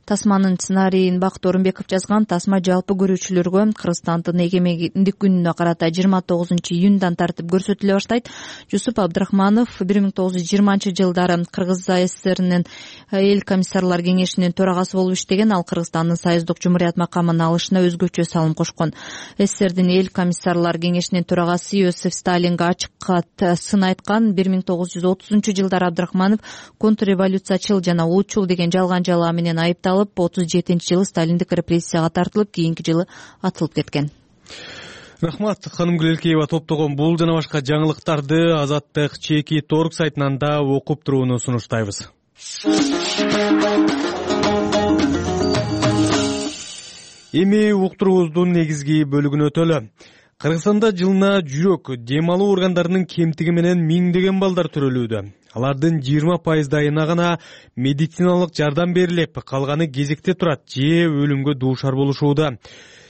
Тасманын сценарийин Бакыт Орунбеков жазган. Тасма жалпы көрүүчүлөргө Кыргызстандын эгемендик күнүнө карата жыйырма тогузунчу июндан тартып көрсөтүлө баштайт. Жусуп Абдрахманов бир миң тогуз жүз жыйырманчы жылдары Кыргыз АССРнин эл комиссарлар кеңешинин төрагасы болуп иштеген. Ал Кыргызстандын союздук жумурият макамын алышына өзгөчө салым кошкон. СССРдин эл комиссарлар кеңешинин төрагасы Иосиф Сталинге ачык кат сын айткан. бир миң тогуз жүз отузунчу жылдары Абдрахманов контрреволюциячыл жана улутчул деген жалган жалаа менен айыпталып, отуз жетинчи жылы Сталиндик репрессияга тартылып, кийинки жылы атылып кеткен. Рахмат, ханым Гүлелкеева. Топтогон бул жана башка жаңылыктарды Азаттык чеки торг сайтынан да окуп турууну сунуштайбыз. Эми уктуруубуздун негизги бөлүгүнө өтөлү. Кыргызстанда жылына жүрөк, дем алуу органдарынын кемтиги менен миңдеген балдар төрөлүүдө. Алардын жыйырма пайыздайына гана медициналык жардам берилип, калганы кезекте турат же өлүмгө дуушар болушууда.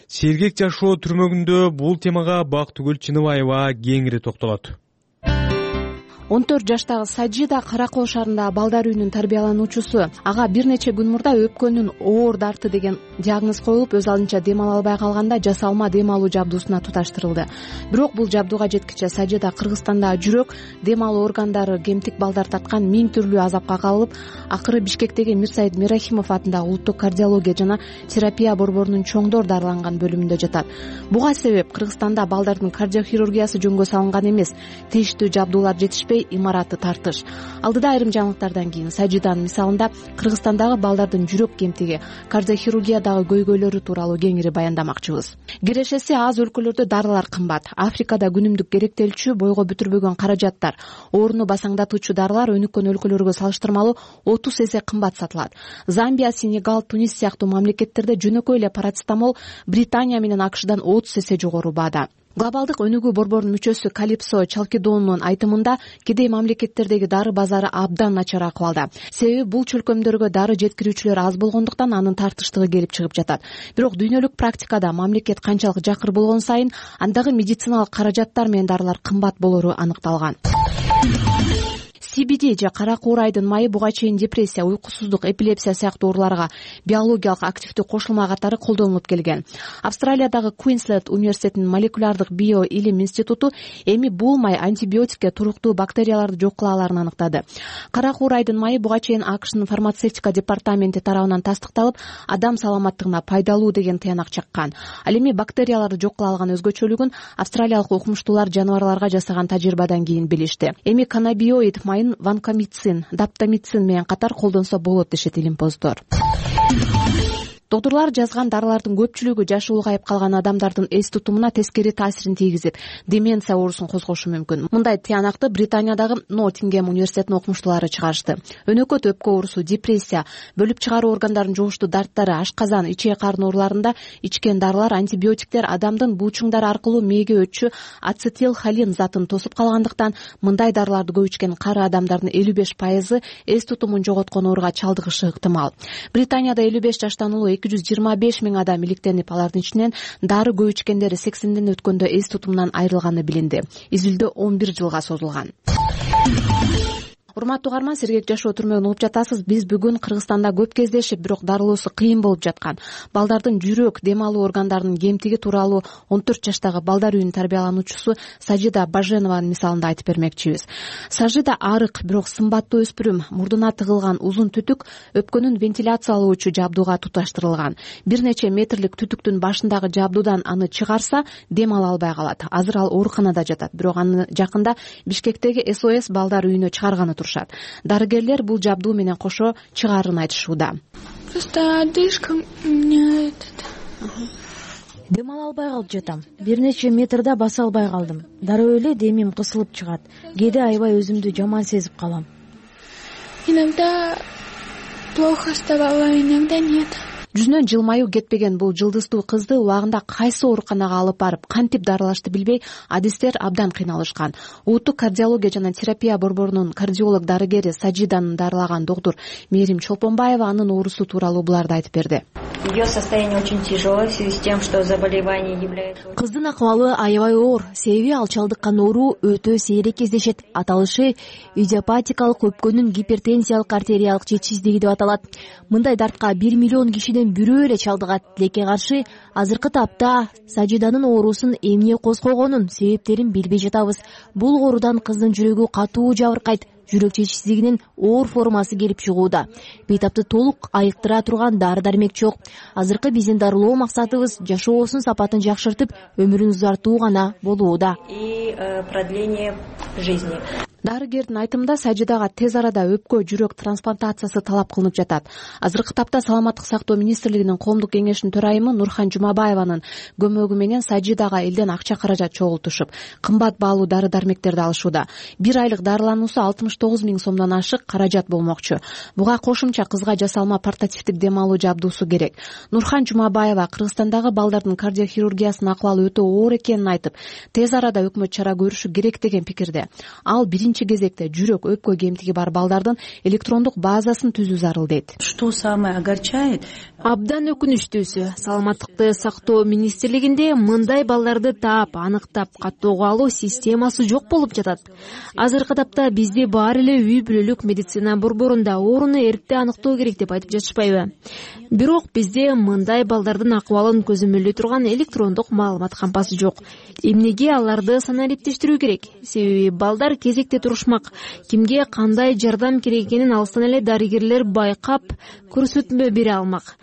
Сергек жашоо түрмөгүндө бул темага Бактыгүл Чыныбаева кеңири токтолот. он төрт жаштагы Сажида Кара Коо шаарындагы балдар үйүнүн тарбиялануучусу. Ага бир нече күн мурда өпкөнүн оор дарты деген диагноз коюлуп, өз алдынча дем ала албай калганда жасалма дем алуу жабдуусуна туташтырылды. Бирок бул жабдууга жеткиче Сажида Кыргызстандагы жүрөк, дем алуу органдары, кемтик балдар тарткан миң түрлүү азапка кабылып, акыры Бишкектеги Мирсаид Мерахимов атындагы улуттук кардиология жана терапия борборунун чоңдор дарыланган бөлүмүндө жатат. Буга себеп Кыргызстанда балдардын кардиохирургиясы жөнгө салынган эмес, тийиштүү жабдуулар жетишпей, имараты тартыш. Алдыда айрым жаңылыктардан кийин Сажиданын мисалында Кыргызстандагы балдардын жүрөк кемтиги, кардиохирургиядагы көйгөйлөрү тууралуу кеңири баяндамакчыбыз. Кирешеси аз өлкөлөрдө дарылар кымбат. Африкада күнүмдүк керектелчү, бойго бүтүрбөгөн каражаттар, ооруну басаңдатуучу дарылар өнүккөн өлкөлөргө салыштырмалуу отуз эсе кымбат сатылат. Замбия, Сенегал, Тунис сыяктуу мамлекеттерде жөнөкөй эле парацетамол Британия менен АКШдан отуз эсе жогору баада. Глобалдык өнүгүү борборунун мүчөсү Калипсо Чалкидонунун айтымында кедей мамлекеттердеги дары базары абдан начар акыбалда. Себеби бул чөлкөмдөргө дары жеткирүүчүлөр аз болгондуктан анын тартыштыгы келип чыгып жатат. Бирок дүйнөлүк практикада мамлекет канчалык жакыр болгон сайын андагы медициналык каражаттар менен дарылар кымбат болору аныкталган. си би ди же кара куурайдын майы буга чейин депрессия, уйкусуздук, эпилепсия сыяктуу ооруларга биологиялык активдүү кошулма катары колдонулуп келген. Австралиядагы Квинсленд университетинин молекулярдык био илим институту эми бул май антибиотикке туруктуу бактерияларды жок кыла аларын аныктады. Кара куурайдын майы буга чейин АКШнын фармацевтика департаменти тарабынан тастыкталып, адам саламаттыгына пайдалуу деген тыянак чаккан. Ал эми бактерияларды жок кыла алган өзгөчөлүгүн австралиялык окумуштуулар жаныбарларга жасаган тажрыйбадан кийин билишти. Эми каннабиоид майын ванкомицин, даптамицин менен катар колдонсо болот дешет илимпоздор. Докторлор жазган дарылардын көпчүлүгү жашы улгайып калган адамдардын эс тутумуна тескери таасирин тийгизип, деменция оорусун козгошу мүмкүн. Мындай тыянакты Британиядагы Ноттингем университетинин окумуштуулары чыгарышты. Өнөкөт, өпкө оорусу, депрессия, бөлүп чыгаруу органдарын жугуштуу дарттары, ашказан, ичек карын ооруларында ичкен дарылар, антибиотиктер адамдын булчуңдары аркылуу мээге өтчү ацетилхолин затын тосуп калгандыктан мындай дарыларды көп ичкен кары адамдардын элүү беш пайызы эс тутумун жоготкон ооруга чалдыгышы ыктымал. Британияда элүү беш жаштан улуу эки жүз жыйырма беш миң адам иликтенип, алардын ичинен дары көп ичкендери сексенден өткөндө эс тутумунан айрылганы билинди. Изилдөө он бир жылга созулган. Урматтуу угарман, сергек жашоо түрмөгүн угуп жатасыз. Биз бүгүн Кыргызстанда көп кездешип, бирок дарылоосу кыйын болуп жаткан балдардын жүрөк, дем алуу органдарынын кемтиги тууралуу он төрт жаштагы балдар үйүнүн тарбиялануучусу Сажида Баженованын мисалында айтып бермекчибиз. Сажида арык, бирок сымбаттуу өспүрүм, мурдуна тыгылган узун түтүк өпкөнүн вентиляциялоочу жабдууга туташтырылган. Бир нече метрлик түтүктүн башындагы жабдуудан аны чыгарса, дем ала албай калат. Азыр ал ооруканада жатат, бирок аны жакында Бишкектеги эс о эс балдар үйүнө чыгарганы турушат. Дарыгерлер бул жабдуу менен кошо чыгаарын айтышууда. Просто одышка у меня этот. дем ала албай калып жатам. Бир нече метрда баса албай калдым. Дароо эле демим кысылып чыгат. Кээде аябай өзүмдү жаман сезип калам. Иногда плохо вставала, иногда нет. Жүзүнөн жылмаюу кетпеген бул жылдыздуу кызды убагында кайсы ооруканага алып барып кантип дарылашты билбей адистер абдан кыйналышкан. Улуттук кардиология жана терапия борборунун кардиолог дарыгери Саджиданы дарылаган доктур Мээрим Чолпонбаева анын оорусу тууралуу буларды айтып берди. Ее состояние очень тяжелое в связи с тем, что заболевание является... Кыздын акыбалы аябай оор, себеби ал чалдыккан оору өтө сейрек кездешет. Аталышы идиопатикалык өпкөнүн гипертензиялык артериялык жетишсиздиги деп аталат. Мындай дартка бир миллион кишиден бирөө эле чалдыгат. Тилекке каршы азыркы тапта Сажиданын оорусун эмне козгогонун себептерин билбей жатабыз. Бул оорудан кыздын жүрөгү катуу жабыркайт. Жүрөк жетишсиздигинин оор формасы келип чыгууда. Бейтапты толук айыктыра турган дары-дармек жок. Азыркы биздин дарылоо максатыбыз жашоосунун сапатын жакшыртып, өмүрүн узартуу гана болууда. И продление жизни. Дарыгердин айтымында Сажидага тез арада өпкө жүрөк трансплантациясы талап кылынып жатат. Азыркы тапта Саламаттык сактоо министрлигинин коомдук кеңешинин төрайымы Нурхан Жумабаеванын көмөгү менен Сажидага элден акча каражат чогултушуп, кымбат баалуу дары-дармектерди алышууда. Бир айлык дарылануусу алтымыш тогуз миң сомдон ашык каражат болмокчу. Буга кошумча кызга жасалма портативдик дем алуу жабдуусу керек. Нурхан Жумабаева Кыргызстандагы балдардын кардиохирургиясынын акыбалы өтө оор экенин айтып, тез арада өкмөт чара көрүшү керек деген пикирде. Ал биринчи кезекте жүрөк өпкө кемтиги бар балдардын электрондук базасын түзүү зарыл дейт. Что самое огорчает? Абдан өкүнүчтүүсү, саламаттыкты сактоо министрлигинде мындай балдарды таап, аныктап, каттоого алуу системасы жок болуп жатат. Азыркы тапта бизде баары эле үй бүлөлүк медицина борборунда ооруну эрте аныктоо керек деп айтып жатышпайбы? Бирок бизде мындай балдардын акыбалын көзөмөлдөй турган электрондук маалымат кампасы жок. Эмнеге аларды санариптештирүү керек? Себеби балдар кезекте турушмак. Кимге кандай жардам керек экенин алыстан эле дарыгерлер байкап, көрсөтмө бере алмак.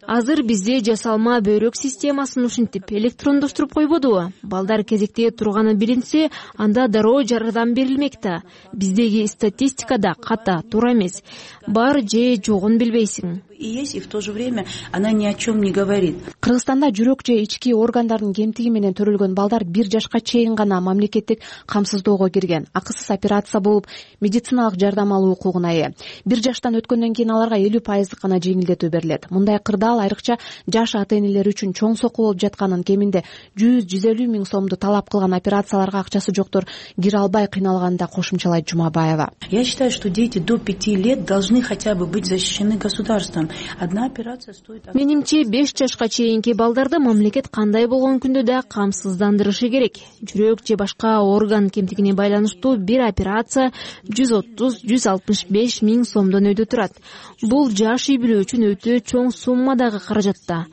Азыр бизде жасалма бөйрөк системасын ушинтип электрондоштуруп койбодубу? Балдар кезекте турганы билинсе, анда дароо жардам берилмек да. Биздеги статистикада ката туура эмес. Бар же жогун билбейсиң. И есть, и в то же время она ни о чем не говорит. Кыргызстанда жүрөк же ички органдардын кемтиги менен төрөлгөн балдар бир жашка чейин гана мамлекеттик камсыздоого кирген, акысыз операция болуп, медициналык жардам алуу укугуна ээ. Бир жаштан өткөндөн кийин аларга элүү пайыздык гана жеңилдетүү берилет. Мындай кырдаал айрыкча жаш ата-энелер үчүн чоң сокку болуп жатканын, кеминде жүз жүз элүү миң сомду талап кылган операцияларга акчасы жоктор кире албай кыйналганын да кошумчалайт Жумабаева. Я считаю, что дети до пяти лет должны хотя бы быть защищены государством. Одна операция стоит... Менимче беш жашка чейинки балдарды мамлекет кандай болгон күндө да камсыздандырышы керек. Жүрөк же башка орган кемтигине байланыштуу бир операция жүз отуз — жүз алтымыш беш миң сомдон өйдө турат. Бул жаш үй бүлө үчүн өтө чоң суммадагы каражатта.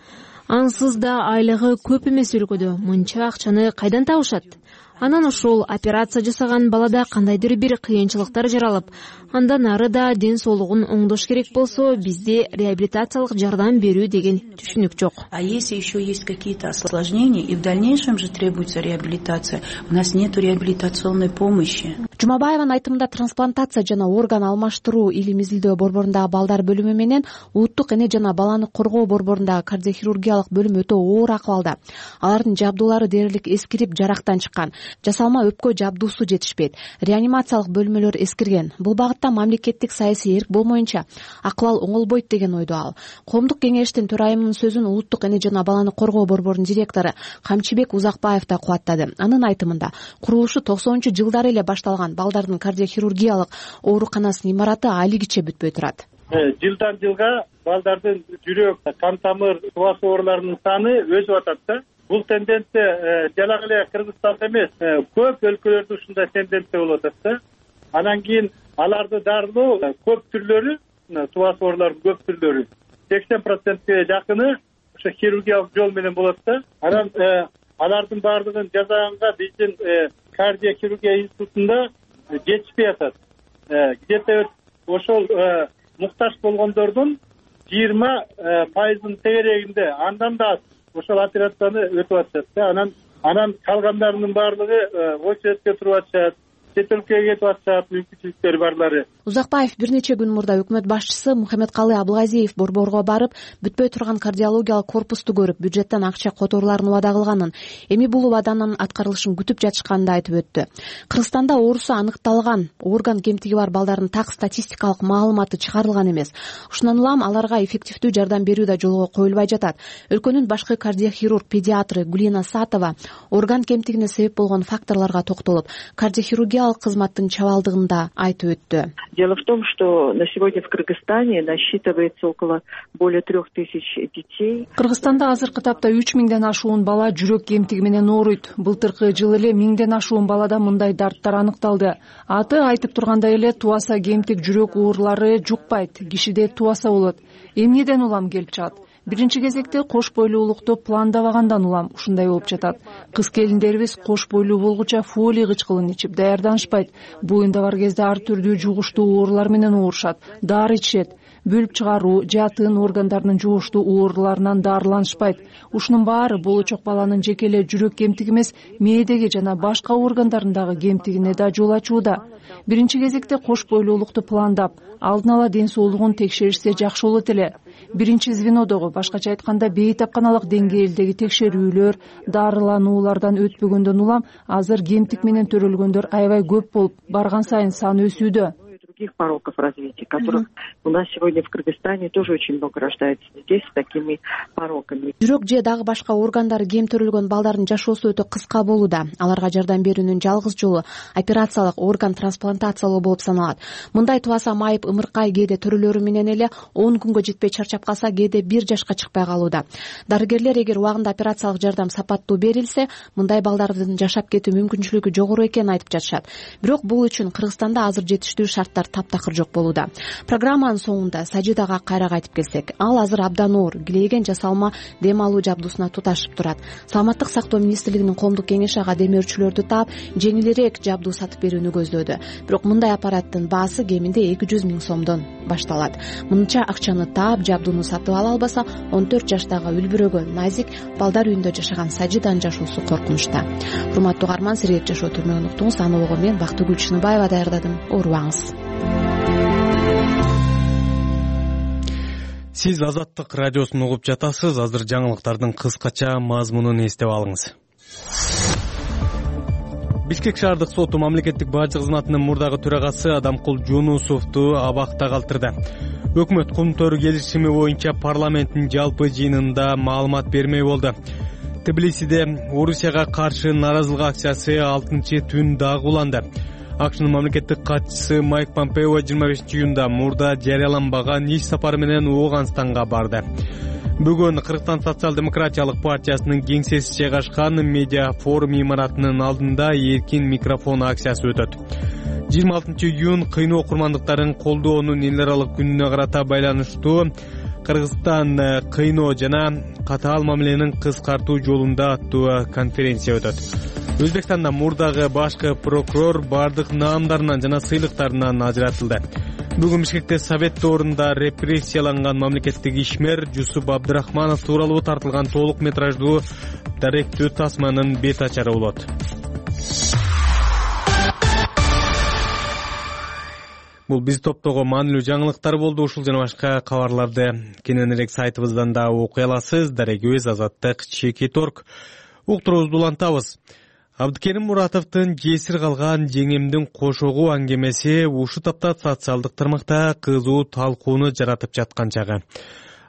Ансыз да айлыгы көп эмес өлкөдө мынча акчаны кайдан табышат? Анан ошол операция жасаган балада кандайдыр бир кыйынчылыктар жаралып, андан ары да ден соолугун оңдош керек болсо, бизде реабилитациялык жардам берүү деген түшүнүк жок. А если еще есть какие-то осложнения и в дальнейшем же требуется реабилитация, у нас нет реабилитационной помощи. Жумабаеванын айтымында трансплантация жана орган алмаштыруу илим изилдөө борборундагы балдар бөлүмү менен улуттук эне жана баланы коргоо борборундагы кардиохирургиялык бөлүм өтө оор акыбалда. Алардын жабдуулары дээрлик эскирип, жарактан чыккан. Жасалма өпкө жабдуусу жетишпейт. Реанимациялык бөлмөлөр эскирген. Бул багытта мамлекеттик саясий эрк болмоюнча акыбал оңолбойт деген ойдо ал. Коомдук кеңештин төрайымынын сөзүн улуттук эне жана баланы коргоо борборунун директору Камчыбек Узакбаев да кубаттады. Анын айтымында курулушу токсонунчу жылдары эле башталган балдардын кардиохирургиялык ооруканасынын имараты алигиче бүтпөй турат. Жылдан жылга балдардын жүрөк, кан тамыр, туба ооруларынын саны өсүп атат да. Бул тенденция жалак эле Кыргызстанда эмес, көп өлкөлөрдө ушундай тенденция болуп атат да. Анан кийин аларды дарылоо көп түрлөрү, туба оорулардын көп түрлөрү сексен процентке жакыны ошо хирургиялык жол менен болот да. Анан алардын баардыгын жасаганга биздин кардиохирургия институтунда жетишпей атат. Где-то ошол муктаж болгондордун жыйырма пайызынын тегерегинде, андан да ошол операцияны өтүп атышат да. Анан анан калгандарынын баардыгы очередке туруп атышат. чет өлкөгө кетип атышат, мүмкүнчүлүктөрү барлары. Узакбаев бир нече күн мурда өкмөт башчысы Мухаммедкалый Абылгазиев борборго барып, бүтпөй турган кардиологиялык корпусту көрүп, бюджеттен акча которууларын убада кылганын, эми бул убаданын аткарылышын күтүп жатышканын айтып өттү. Кыргызстанда оорусу аныкталган орган кемтиги бар балдардын так статистикалык маалыматы чыгарылган эмес. Ушундан улам аларга эффективдүү жардам берүү да жолго коюлбай жатат. Өлкөнүн башкы кардиохирург педиатры Гулина Сатова орган кемтигине себеп болгон факторлорго токтолуп, кардиохирургиялык кызматтын чабалдыгын да айтып өттү. Дело в том, что на сегодня в Кыргызстане насчитывается около более трех тысяч детей. Кыргызстанда азыркы тапта үч миңден ашуун бала жүрөк кемтиги менен ооруйт. Былтыркы жылы эле миңден ашуун балада мындай дарттар аныкталды. Аты айтып тургандай эле туаса кемтик жүрөк оорулары жукпайт, кишиде туаса болот. Эмнеден улам келип чыгат? Биринчи кезекте кош бойлуулукту пландабагандан улам ушундай болуп жатат. Кыз келиндерибиз кош бойлуу болгуча фолий кычкылын ичип даярданышпайт. Боюнда бар кезде ар түрдүү жугуштуу оорулар менен оорушат. Дары ичишет. Бөлүп чыгаруу, жатын органдарынын жугуштуу ооруларынан дарыланышпайт. Ушунун баары болочок баланын жеке эле жүрөк кемтиги эмес, мээдеги жана башка органдарындагы кемтигине да жол ачууда. Биринчи кезекте кош бойлуулукту пландап, алдын ала ден соолугун текшеришсе жакшы болот эле. Биринчи звенодогу, башкача айтканда бейтапканалык деңгээлдеги текшерүүлөр, дарылануулардан өтпөгөндөн улам азыр кемтик менен төрөлгөндөр аябай көп болуп, барган сайын саны өсүүдө. Других пороков развития, которых у нас сегодня в Кыргызстане тоже очень много рождается детей с такими пороками. Жүрөк же дагы башка органдары кем төрөлгөн балдардын жашоосу өтө кыска болууда. Аларга жардам берүүнүн жалгыз жолу операциялык орган трансплантациялоо болуп саналат. Мындай туаса майып ымыркай кээде төрөлөрү менен эле он күнгө жетпей чарчап калса, кээде бир жашка чыкпай калууда. Дарыгерлер эгер убагында операциялык жардам сапаттуу берилсе, мындай балдардын жашап кетүү мүмкүнчүлүгү жогору экенин айтып жатышат. Бирок бул үчүн Кыргызстанда азыр жетиштүү шарттар таптакыр жок болууда. Программанын соңунда Сажидага кайра кайтып келсек, ал азыр абдан оор, килейген жасалма дем алуу жабдуусуна туташып турат. Саламаттык сактоо министрлигинин коомдук кеңеши ага демөөрчүлөрдү таап, жеңилирээк жабдуу сатып берүүнү көздөөдү. Бирок мындай аппараттын баасы кеминде эки жүз миң сомдон башталат. Мынча акчаны таап, жабдууну сатып ала албаса, он төрт жаштагы үлбүрөгөн назик балдар үйүндө жашаган Сажиданын жашоосу коркунучта. Урматтуу угарман, сирет жашоо түрмөгүн уктуңуз. Аны ого мен Бактыгүл Чыныбаева даярдадым. Оорубаңыз. Сиз Азаттык радиосун угуп жатасыз. Азыр жаңылыктардын кыскача мазмунун эстеп алыңыз. Бишкек шаардык соту мамлекеттик бажы кызматынын мурдагы төрагасы Адамкул Жунусовду абакта калтырды. Өкмөт кумтөр келишими боюнча парламенттин жалпы жыйынында маалымат бермей болду. Тбилисиде Орусияга каршы нааразылык акциясы алтынчы түн дагы уланды. АКШнын мамлекеттик катчысы Майк Помпео жыйырма бешинчи июнда мурда жарыяланбаган иш сапары менен Ооганстанга барды. Бүгүн Кыргызстан социал-демократиялык партиясынын кеңсеси жайгашкан медиа форум имаратынын алдында эркин микрофон акциясы өтөт. жыйырма алтынчы июнь кыйноо окурмандыктарын колдоонун эл аралык күнүнө карата байланыштуу Кыргызстан кыйноо жана катаал мамиленин кыскартуу жолунда аттуу конференция өтөт. Өзбекстанда мурдагы башкы прокурор бардык наамдарынан жана сыйлыктарынан ажыратылды. Бүгүн Бишкекте совет доорунда репрессияланган мамлекеттик ишмер Жусуп Абдрахманов тууралуу тартылган толук метраждуу даректүү тасманын бет ачары болот. Бул биз топтогу маанилүү жаңылыктар болду. Ушул жана башка кабарларды кененирээк сайтыбыздан да окуй аласыз. Дарегибиз Азаттык чекит точка орг. Уктуруубузду улантабыз. Абдыкерим Муратовдун жесир калган жеңемдин кошогу аңгемеси ушул тапта социалдык тармакта кызуу талкууну жаратып жаткан чагы.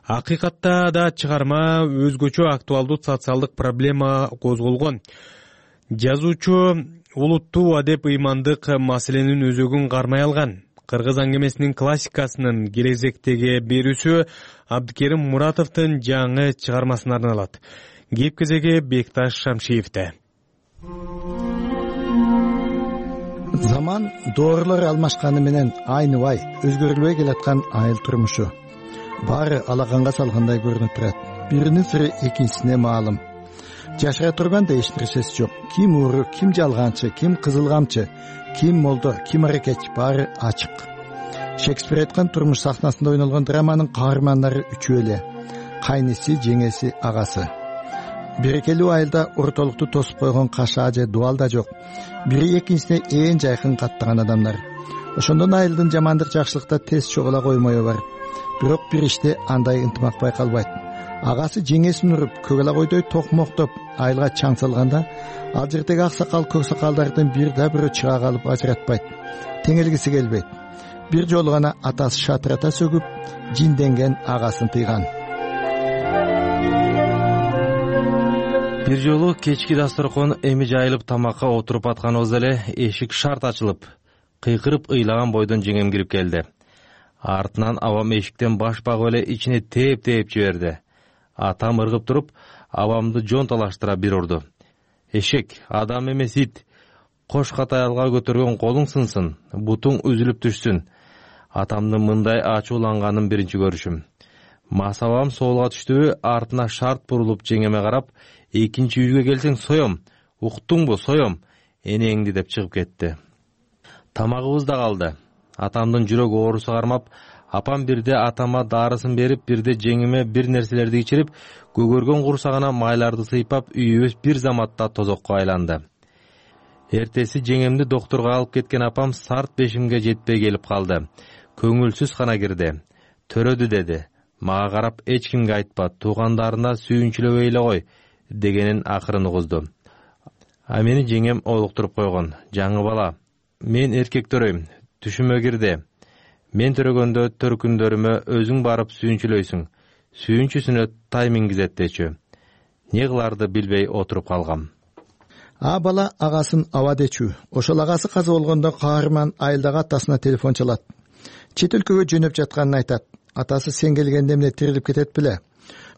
Акыйкатта да чыгарма өзгөчө актуалдуу социалдык проблема козголгон. Жазуучу улуттуу адеп ыймандык маселенин өзөгүн кармай алган. Кыргыз аңгемесинин классикасынын келечектеги берүүсү Абдыкерим Муратовдун жаңы чыгармасына арналат. Кеп кезеги Бекташ Шамшиевде. Заман доорлор алмашканы менен айныбай өзгөрүлбөй келаткан айыл турмушу. Баары алаганга салгандай көрүнүп турат. Биринин сыры экинчисине маалым. Жашай турганда эч нерсеси жок. Ким ууру, ким жалганчы, ким кызылгамчы, ким молдо, ким аракет, баары ачык. Шекспир айткан турмуш сахнасында ойнолгон драманын каармандары үчөө эле. Кайниси, жеңеси, агасы. берекелүү айылда ортолукту тосуп койгон кашаа же дубал да жок. Бири экинчисине ээн жайкын каттаган адамдар. Ошондон айылдын жамандык жакшылыкта тез чогула коймою бар. Бирок бир иште андай ынтымак байкалбайт. Агасы жеңесин уруп, көгала койдой токмоктоп айылга чаң салганда, ал жердеги аксакал көксакалдардын бир да бирөө чыга калып ажыратпайт. Теңелгиси келбейт. Бир жолу гана атасы шатырата сөгүп, жинденген агасын тыйган. Бир жолу кечки дасторкон эми жайылып тамакка отуруп атканыбызда эле эшик шарт ачылып, кыйкырып ыйлаган бойдон жеңем кирип келди. Артынан абам эшиктен баш багып эле ичине тээп-тээп жиберди. Атам ыргып туруп, абамды жон талаштыра бир урду. Эшек, адам эмес ит. Кош катаялга көтөргөн колуң сынсын, бутуң үзүлүп түшсүн. Атамдын мындай ачууланганын биринчи көрүшүм. Масабам соолга түштүбү, артына шарт бурулуп жеңеме карап, экинчи үйгө келсең соем, уктуңбу, соем, энеңди деп чыгып кетти. Тамагыбыз да калды. Атамдын жүрөк оорусу кармап, апам бирде атама дарысын берип, бирде жеңиме бир нерселерди ичирип, көгөргөн курсагына майларды сыйпап, үйүбүз бир заматта тозокко айланды. Эртеси жеңемди доктурга алып кеткен апам сарт бешимге жетпей келип калды. Көңүлсүз гана кирди. Төрөдү деди. Мага карап эч кимге айтпа, туугандарына сүйүнчүлөбөй эле кой дегенин акырын угузду. А мени жеңем олуктуруп койгон. Жаңы бала, мен эркек төрөйм, түшүмө кирди. Мен төрөгөндө төркүндөрүмө өзүң барып сүйүнчүлөйсүң. Сүйүнчүсүнө тай мингизет дечү. Не кыларды билбей отуруп калгам. А бала агасын аба дечү. Ошол агасы каза болгондо каарман айылдагы атасына телефон чалат. Чет өлкөгө жөнөп жатканын айтат. Атасы сен келгенде эмне тирилип кетет беле?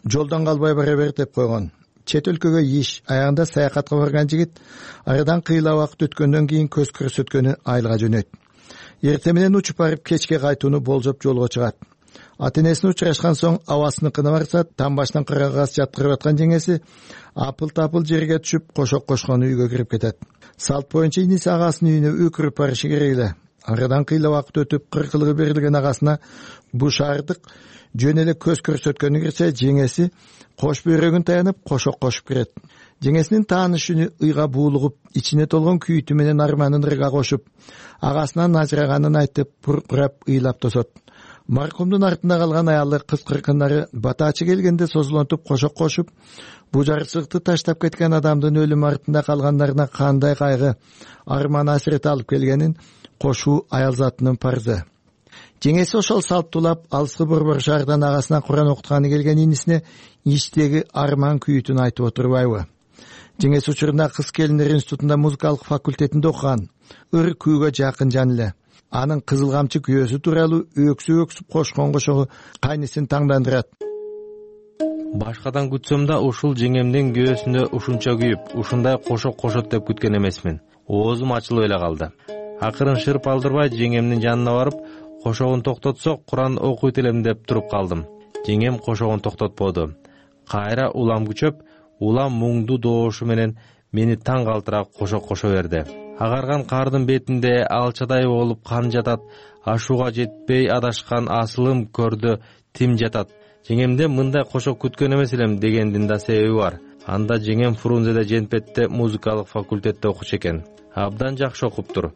Жолдон калбай бара бер деп койгон. Чет өлкөгө иш, аягында саякатка барган жигит арадан кыйла убакыт өткөндөн кийин көз көрсөткөнү айылга жөнөйт. Эрте менен учуп барып кечке кайтууну болжоп жолго чыгат. Ата-энесине учурашкан соң абасыныкына барса, там баштан кырагас жаткырып аткан жеңеси апыл-тапыл жерге түшүп, кошок кошкон үйгө кирип кетет. Салт боюнча иниси агасынын үйүнө өкүрүп барышы керек эле. Арадан кыйла убакыт өтүп, кыркылыгы берилген агасына бу шаардык жөн эле көз көрсөткөнү кирсе, жеңеси кош бөйрөгүн таянып, кошок кошуп кирет. Жеңесинин таанышыны ыйга буулугуп, ичине толгон күйүтү менен арманын ырга кошуп, агасынан ажыраганын айтып, буркурап ыйлап тосот. Маркумдун артында калган аялы кыз кыркындары батачы келгенде созулонтуп кошок кошуп, бу жарчылыкты таштап кеткен адамдын өлүмү артында калгандарына кандай кайгы, арман асирет алып келгенин кошуу аял затынын парзы. Жеңеси ошол салттуулап алыскы борбор шаардан агасына Куран окутканы келген инисине ичтеги арман күйүтүн айтып отурбайбы? Жеңеси учурунда кыз келиндер институтунда музыкалык факультетинде окуган, ыр күүгө жакын жан эле. Анын кызыл камчы күйөөсү тууралуу өксүп өксүп кошкон кошогу кайнысын таңдандырат. Башкадан күтсөм да ушул жеңемдин күйөөсүндө ушунча күйүп, ушундай кошок кошот деп күткөн эмесмин. Оозум ачылып эле калды. Акырын шырп алдырбай жеңемдин жанына барып, кошогун токтотсок Куран окуйт элем деп туруп калдым. Жеңем кошогун токтотподу. Кайра улам күчөп, улам муңдуу доошу менен мени таң калтыра кошок кошо берди. Агарган кардын бетинде алчадай болуп кан жатат, ашууга жетпей адашкан асылым көрдө тим жатат. Жеңемде мындай кошок күткөн эмес элем дегендин да себеби бар. Анда жеңем Фрунзеде Женпетте музыкалык факультетте окучу экен. Абдан жакшы окуптур.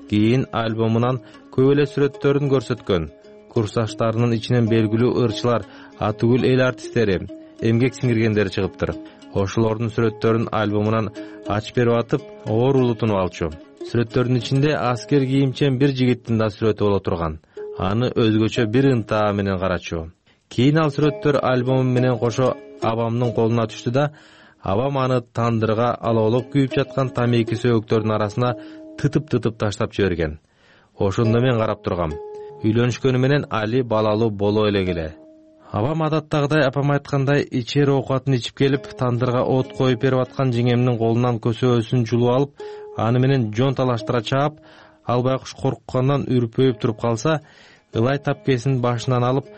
Кийин альбомунан көп эле сүрөттөрүн көрсөткөн. Курсташтарынын ичинен белгилүү ырчылар, атүгүл эл артисттери, эмгек сиңиргендери чыгыптыр. Ошолордун сүрөттөрүн альбомунан ачып берип атып, оорулуу тунуп алчу. Сүрөттөрдүн ичинде аскер кийимчен бир жигиттин да сүрөтү боло турган. Аны өзгөчө бир ынтаа менен карачу. Кийин ал сүрөттөр альбому менен кошо абамдын колуна түштү да, абам аны тандырга алоолоп күйүп жаткан тамеки сөөгүктөрдүн арасына тытып-тытып таштап жиберген. Ошондо мен карап тургам. Үйлөнүшкөнү менен али балалуу боло элек эле. Абам адаттагыдай апам айткандай ичер оокатын ичип келип, тандырга от коюп берип аткан жеңемдин колунан көсөөсүн жулуп алып, аны менен жон талаштыра чаап, ал байкуш корккандан үрпөйүп туруп калса, ылай тапкесин башынан алып,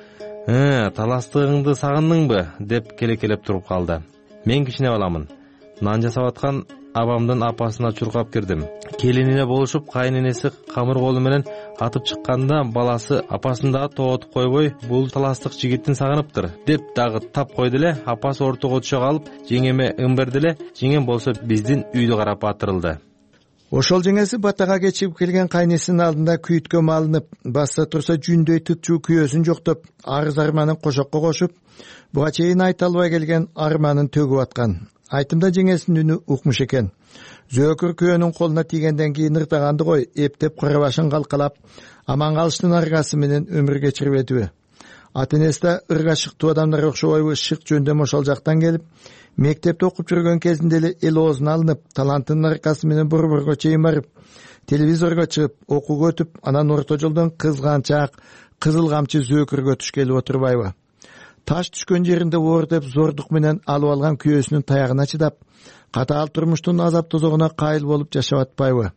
«Э, таластыгыңды сагындыңбы?» деп келекелеп туруп калды. Мен кичине баламын. Нан жасап аткан абамдын апасына чуркап кирдим. Келинине болушуп, кайненеси камыр колу менен атып чыкканда баласы апасын дагы тоотуп койбой, бул таластык жигиттин сагыныптыр деп дагы тап койду эле. Апасы ортого түшө калып жеңеме ыңбырды эле. Жеңем болсо биздин үйдү карап атырылды. Ошол жеңеси батага кечип келген кайнесинин алдында күйүткө малынып, басса турса жүндөй тытчуу күйөөсүн жоктоп, арыз арманын кошокко кошуп, буга чейин айта албай келген арманын төгүп аткан. Айтымда жеңесинин үнү укмуш экен. Зөөкүр күйөөнүн колуна тийгенден кийин ыртаганды кой, эптеп кара башын калкалап, аман калыштын аргасы менен өмүр кечирбедиби? Ата-энеси да ырга шыктуу адамдар окшобойбу, шык жөндөм ошол жактан келип, мектепте окуп жүргөн кезинде эле эл оозуна алынып, талантынын аркасы менен борборго чейин барып, телевизорго чыгып, окууга өтүп, анан орто жолдон кызганчак, кызыл камчы зөөкүргө түшкелип отурбайбы? Таш түшкөн жеринде оор деп зордук менен алып алган күйөөсүнүн таягына чыдап, катаал турмуштун азап тозогуна кайыл болуп жашап атпайбы?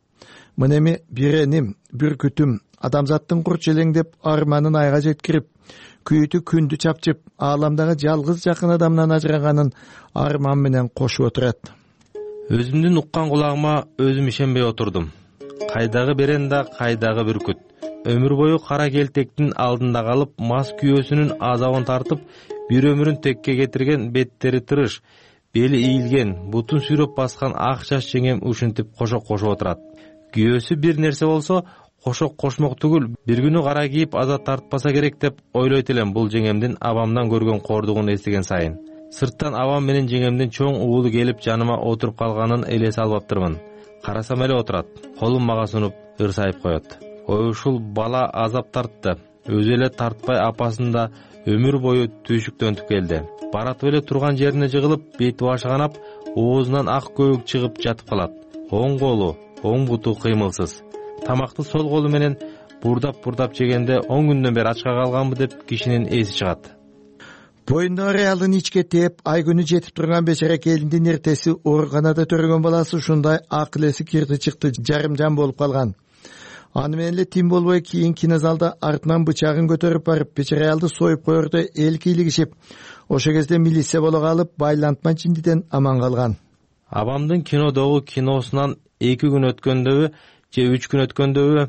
Мына эми бир эним, бир күтүм, адамзаттын курч элеңдеп арманын айга жеткирип, күйүтү күндү чапчып, ааламдагы жалгыз жакын адамдан ажыраганын арман менен кошуп отурат. Өзүмдүн уккан кулагыма өзүм ишенбей отурдум. Кайдагы беренда, кайдагы бүркүт. Өмүр бою кара келтектин алдында калып, мас күйөөсүнүн азабын тартып, бир өмүрүн текке кетирген, беттери тырыш, бели ийилген, бутун сүйрөп баскан ак чач жеңем ушинтип кошок кошуп отурат. Күйөөсү бир нерсе болсо, кошок кошмок түгүл, бир күнү кара кийип азат тартпаса керек деп ойлойт элем бул жеңемдин абамдан көргөн кордугун эстеген сайын. Сырттан абам менен жеңемдин чоң уулу келип жаныма отуруп калганын элесе албаптырмын. Карасам эле отурат, колун мага сунуп ырсайып коет. Ой, ушул бала азап тартты. Өзү эле тартпай апасын да өмүр бою түйшүктөнтүп келди. Баратып эле турган жерине жыгылып, бети башы канап, оозунан ак көбүк чыгып жатып калат. Оң колу, оң буту кыймылсыз. Тамакты сол колу менен бурдап-бурдап жегенде он күндөн бери ачка калганбы деп кишинин эси чыгат. Боюндагы аялын ичке тээп, ай күнү жетип турган бечара келиндин эртеси ооруканада төрөгөн баласы ушундай акыл эси кирди чыкты, жарым жан болуп калган. Аны менен эле тим болбой кийин кинозалда артынан бычагын көтөрүп барып, бечара аялды союп коерде эл кийлигишип, ошол кезде милиция боло калып, байлантма жиндиден аман калган. Абамдын кинодогу киносунан эки күн өткөндөбү же үч күн өткөндөбү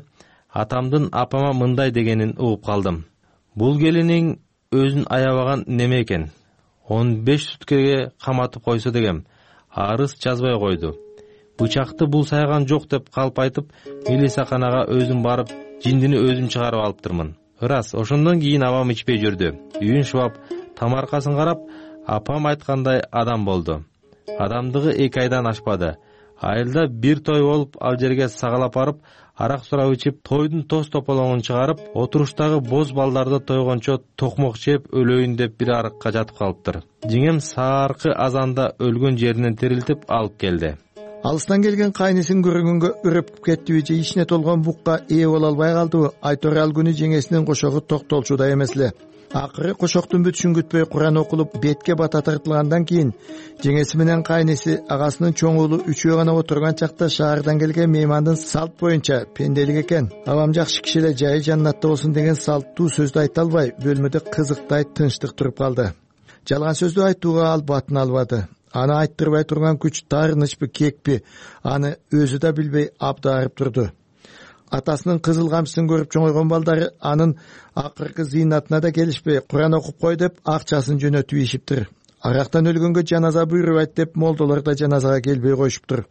атамдын апама мындай дегенин угуп калдым. Бул келиниң өзүн аябаган неме экен. он беш суткеге каматып койсо дегем, арыз жазбай койду. Бычакты бул сайган жок деп калп айтып, милицияканага өзүм барып, жиндини өзүм чыгарып алыптырмын. Ырас, ошондон кийин абам ичпей жүрдү. Үйүн шубап, тамаркасын карап, апам айткандай адам болду. Адамдыгы эки айдан ашпады. Айылда бир той болуп, ал жерге сагалап барып, арак сурап ичип, тойдун тоз тополоңун чыгарып, отуруштагы боз балдарды тойгончо токмок жеп өлөйүн деп бир арыкка жатып калыптыр. Жеңем сааркы азанда өлгөн жеринен тирилтип алып келди. Алыстан келген кайнесин көргөнгө үрөп кеттиби же ичине толгон букка ээ боло албай калдыбы? Айтор ал күнү жеңесинин кошогу токтолчудай эмес эле. Акыры кошоктун бүтүшүн күтпөй Куран окулуп, бетке бата тартылгандан кийин жеңеси менен кайнеси агасынын чоң уулу үчөө гана отурган чакта шаардан келген меймандын салт боюнча пенделик экен, абам жакшы киши эле, жайы жаннатта болсун деген салттуу сөздү айта албай, бөлмөдө кызыктай тынчтык туруп калды. Жалган сөздү айтууга ал батын албады. Аны айттырбай турган күч таарынычпы, кекпи, аны өзү да билбей абдаарып турду. Атасынын кызыл камчысын көрүп чоңойгон балдары анын акыркы зыйнатына да келишпей, Куран окуп кой деп акчасын жөнөтүп ийишиптир. Арактан өлгөнгө жаназа буйрубайт деп молдолор да жаназага келбей коюшуптур.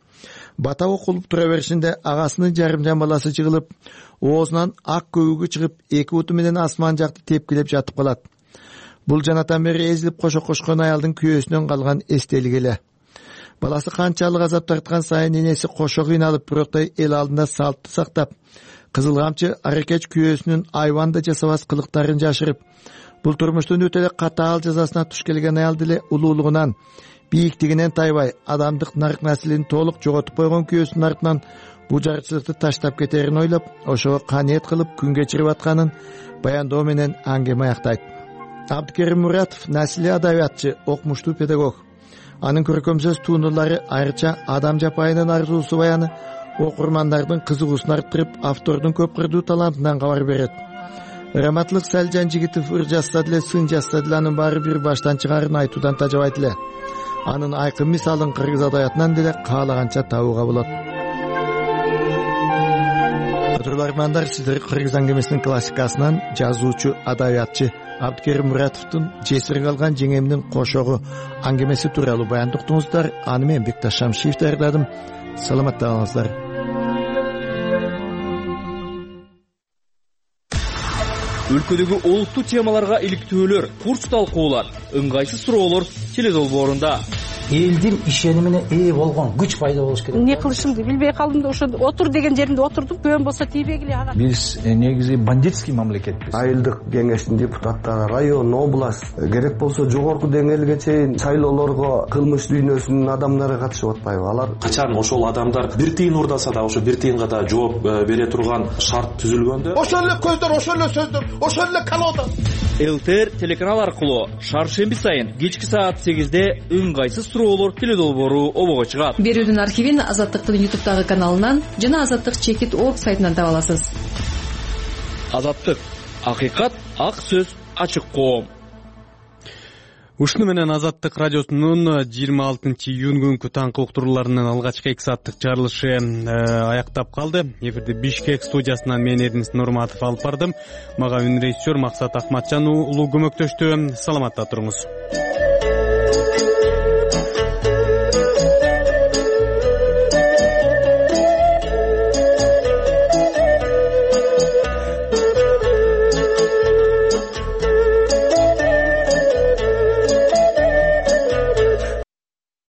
Бата окулуп тура беришинде агасынын жарымжан баласы жыгылып, оозунан ак көбүгү чыгып, эки буту менен асман жакты тепкилеп жатып калат. Бул жанатан бери эзилип кошок кошкон аялдын күйөөсүнөн калган эстелик эле. Баласы канчалык азап тарткан сайын энеси кошо кыйналып, бироктай эл алдында салтты сактап, кызыл камчы аракеч күйөөсүнүн айванда жасабас кылыктарын жашырып, бул турмуштун өтө эле катаал жазасына туш келген аялды эле улуулугунан, бийиктигинен тайбай, адамдык нарк наслин толук жоготуп койгон күйөөсүнүн артынан бул жарчылыкты таштап кетерин ойлоп, ошого каниет кылып күн кечирип атканын баяндоо менен аңгеме аяктайт. Абдыкерим Муратов насилий адабиятчы, окумуштуу педагог. Анын көркөм сөз туунуулары айрыча адам жапайынын арзуусу баяны окурмандардын кызыгуусун арттырып, автордун көп кырдуу талантынан кабар берет. Раматлык Салжан Жигитов ыр жазса деле, сын жазса деле анын баары бир баштан чыгарын айтуудан тажабайт эле. Анын айкын мисалын кыргыз адабиятынан деле каалаганча табууга болот. Кадрлармандар, сиздер Кыргыз аңгемесинин классикасынан жазуучу, адабиятчы Абдыкерим Муратовдун жесир калган жеңемдин кошогу аңгемеси тууралуу баян уктуңуздар. Аны мен Бекташ Шамшиев даярдадым. Саламатта болуңуздар. Өлкөдөгү олуттуу темаларга иликтөөлөр, курс талкуулар, ыңгайсыз суроолор теледолбоорунда. Элдин ишенимине ээ болгон күч пайда болуш керек. Эмне кылышымды билбей калдым да ошо отур деген жеримде отурдум. Көбөн болсо тийбегиле ана. Биз негизи бандитский мамлекетпиз. Айылдык кеңештин депутаттары, район, область, керек болсо жогорку деңгээлге чейин шайлоолорго кылмыш дүйнөсүнүн адамдары катышып атпайбы? Алар качан ошол адамдар бир тыйын урдаса да ошо бир тыйынга да жооп бере турган шарт түзүлгөндө, ошол эле көздөр, ошол эле сөздөр, ошол эле колода. ЛТР телеканал аркылуу шаршемби сайын кечки саат сегизде ыңгайсыз суроолор теледолбоору обого чыгат. Берүүдүн архивин Азаттыктын ютубтагы каналынан жана Азаттык чекит орг сайтынан таба аласыз. Азаттык, акыйкат, ак сөз, ачык коом. Ушуну менен Азаттык радиосунун жыйырма алтынчы июнь күнкү таңкы уктурууларынын алгачкы эки сааттык чыгарылышы аяктап калды. Эфирди Бишкек студиясынан мен Эдмис Нурматов алып бардым. Мага үн режиссер Максат Акматжан уулу көмөктөштү. Саламатта туруңуз.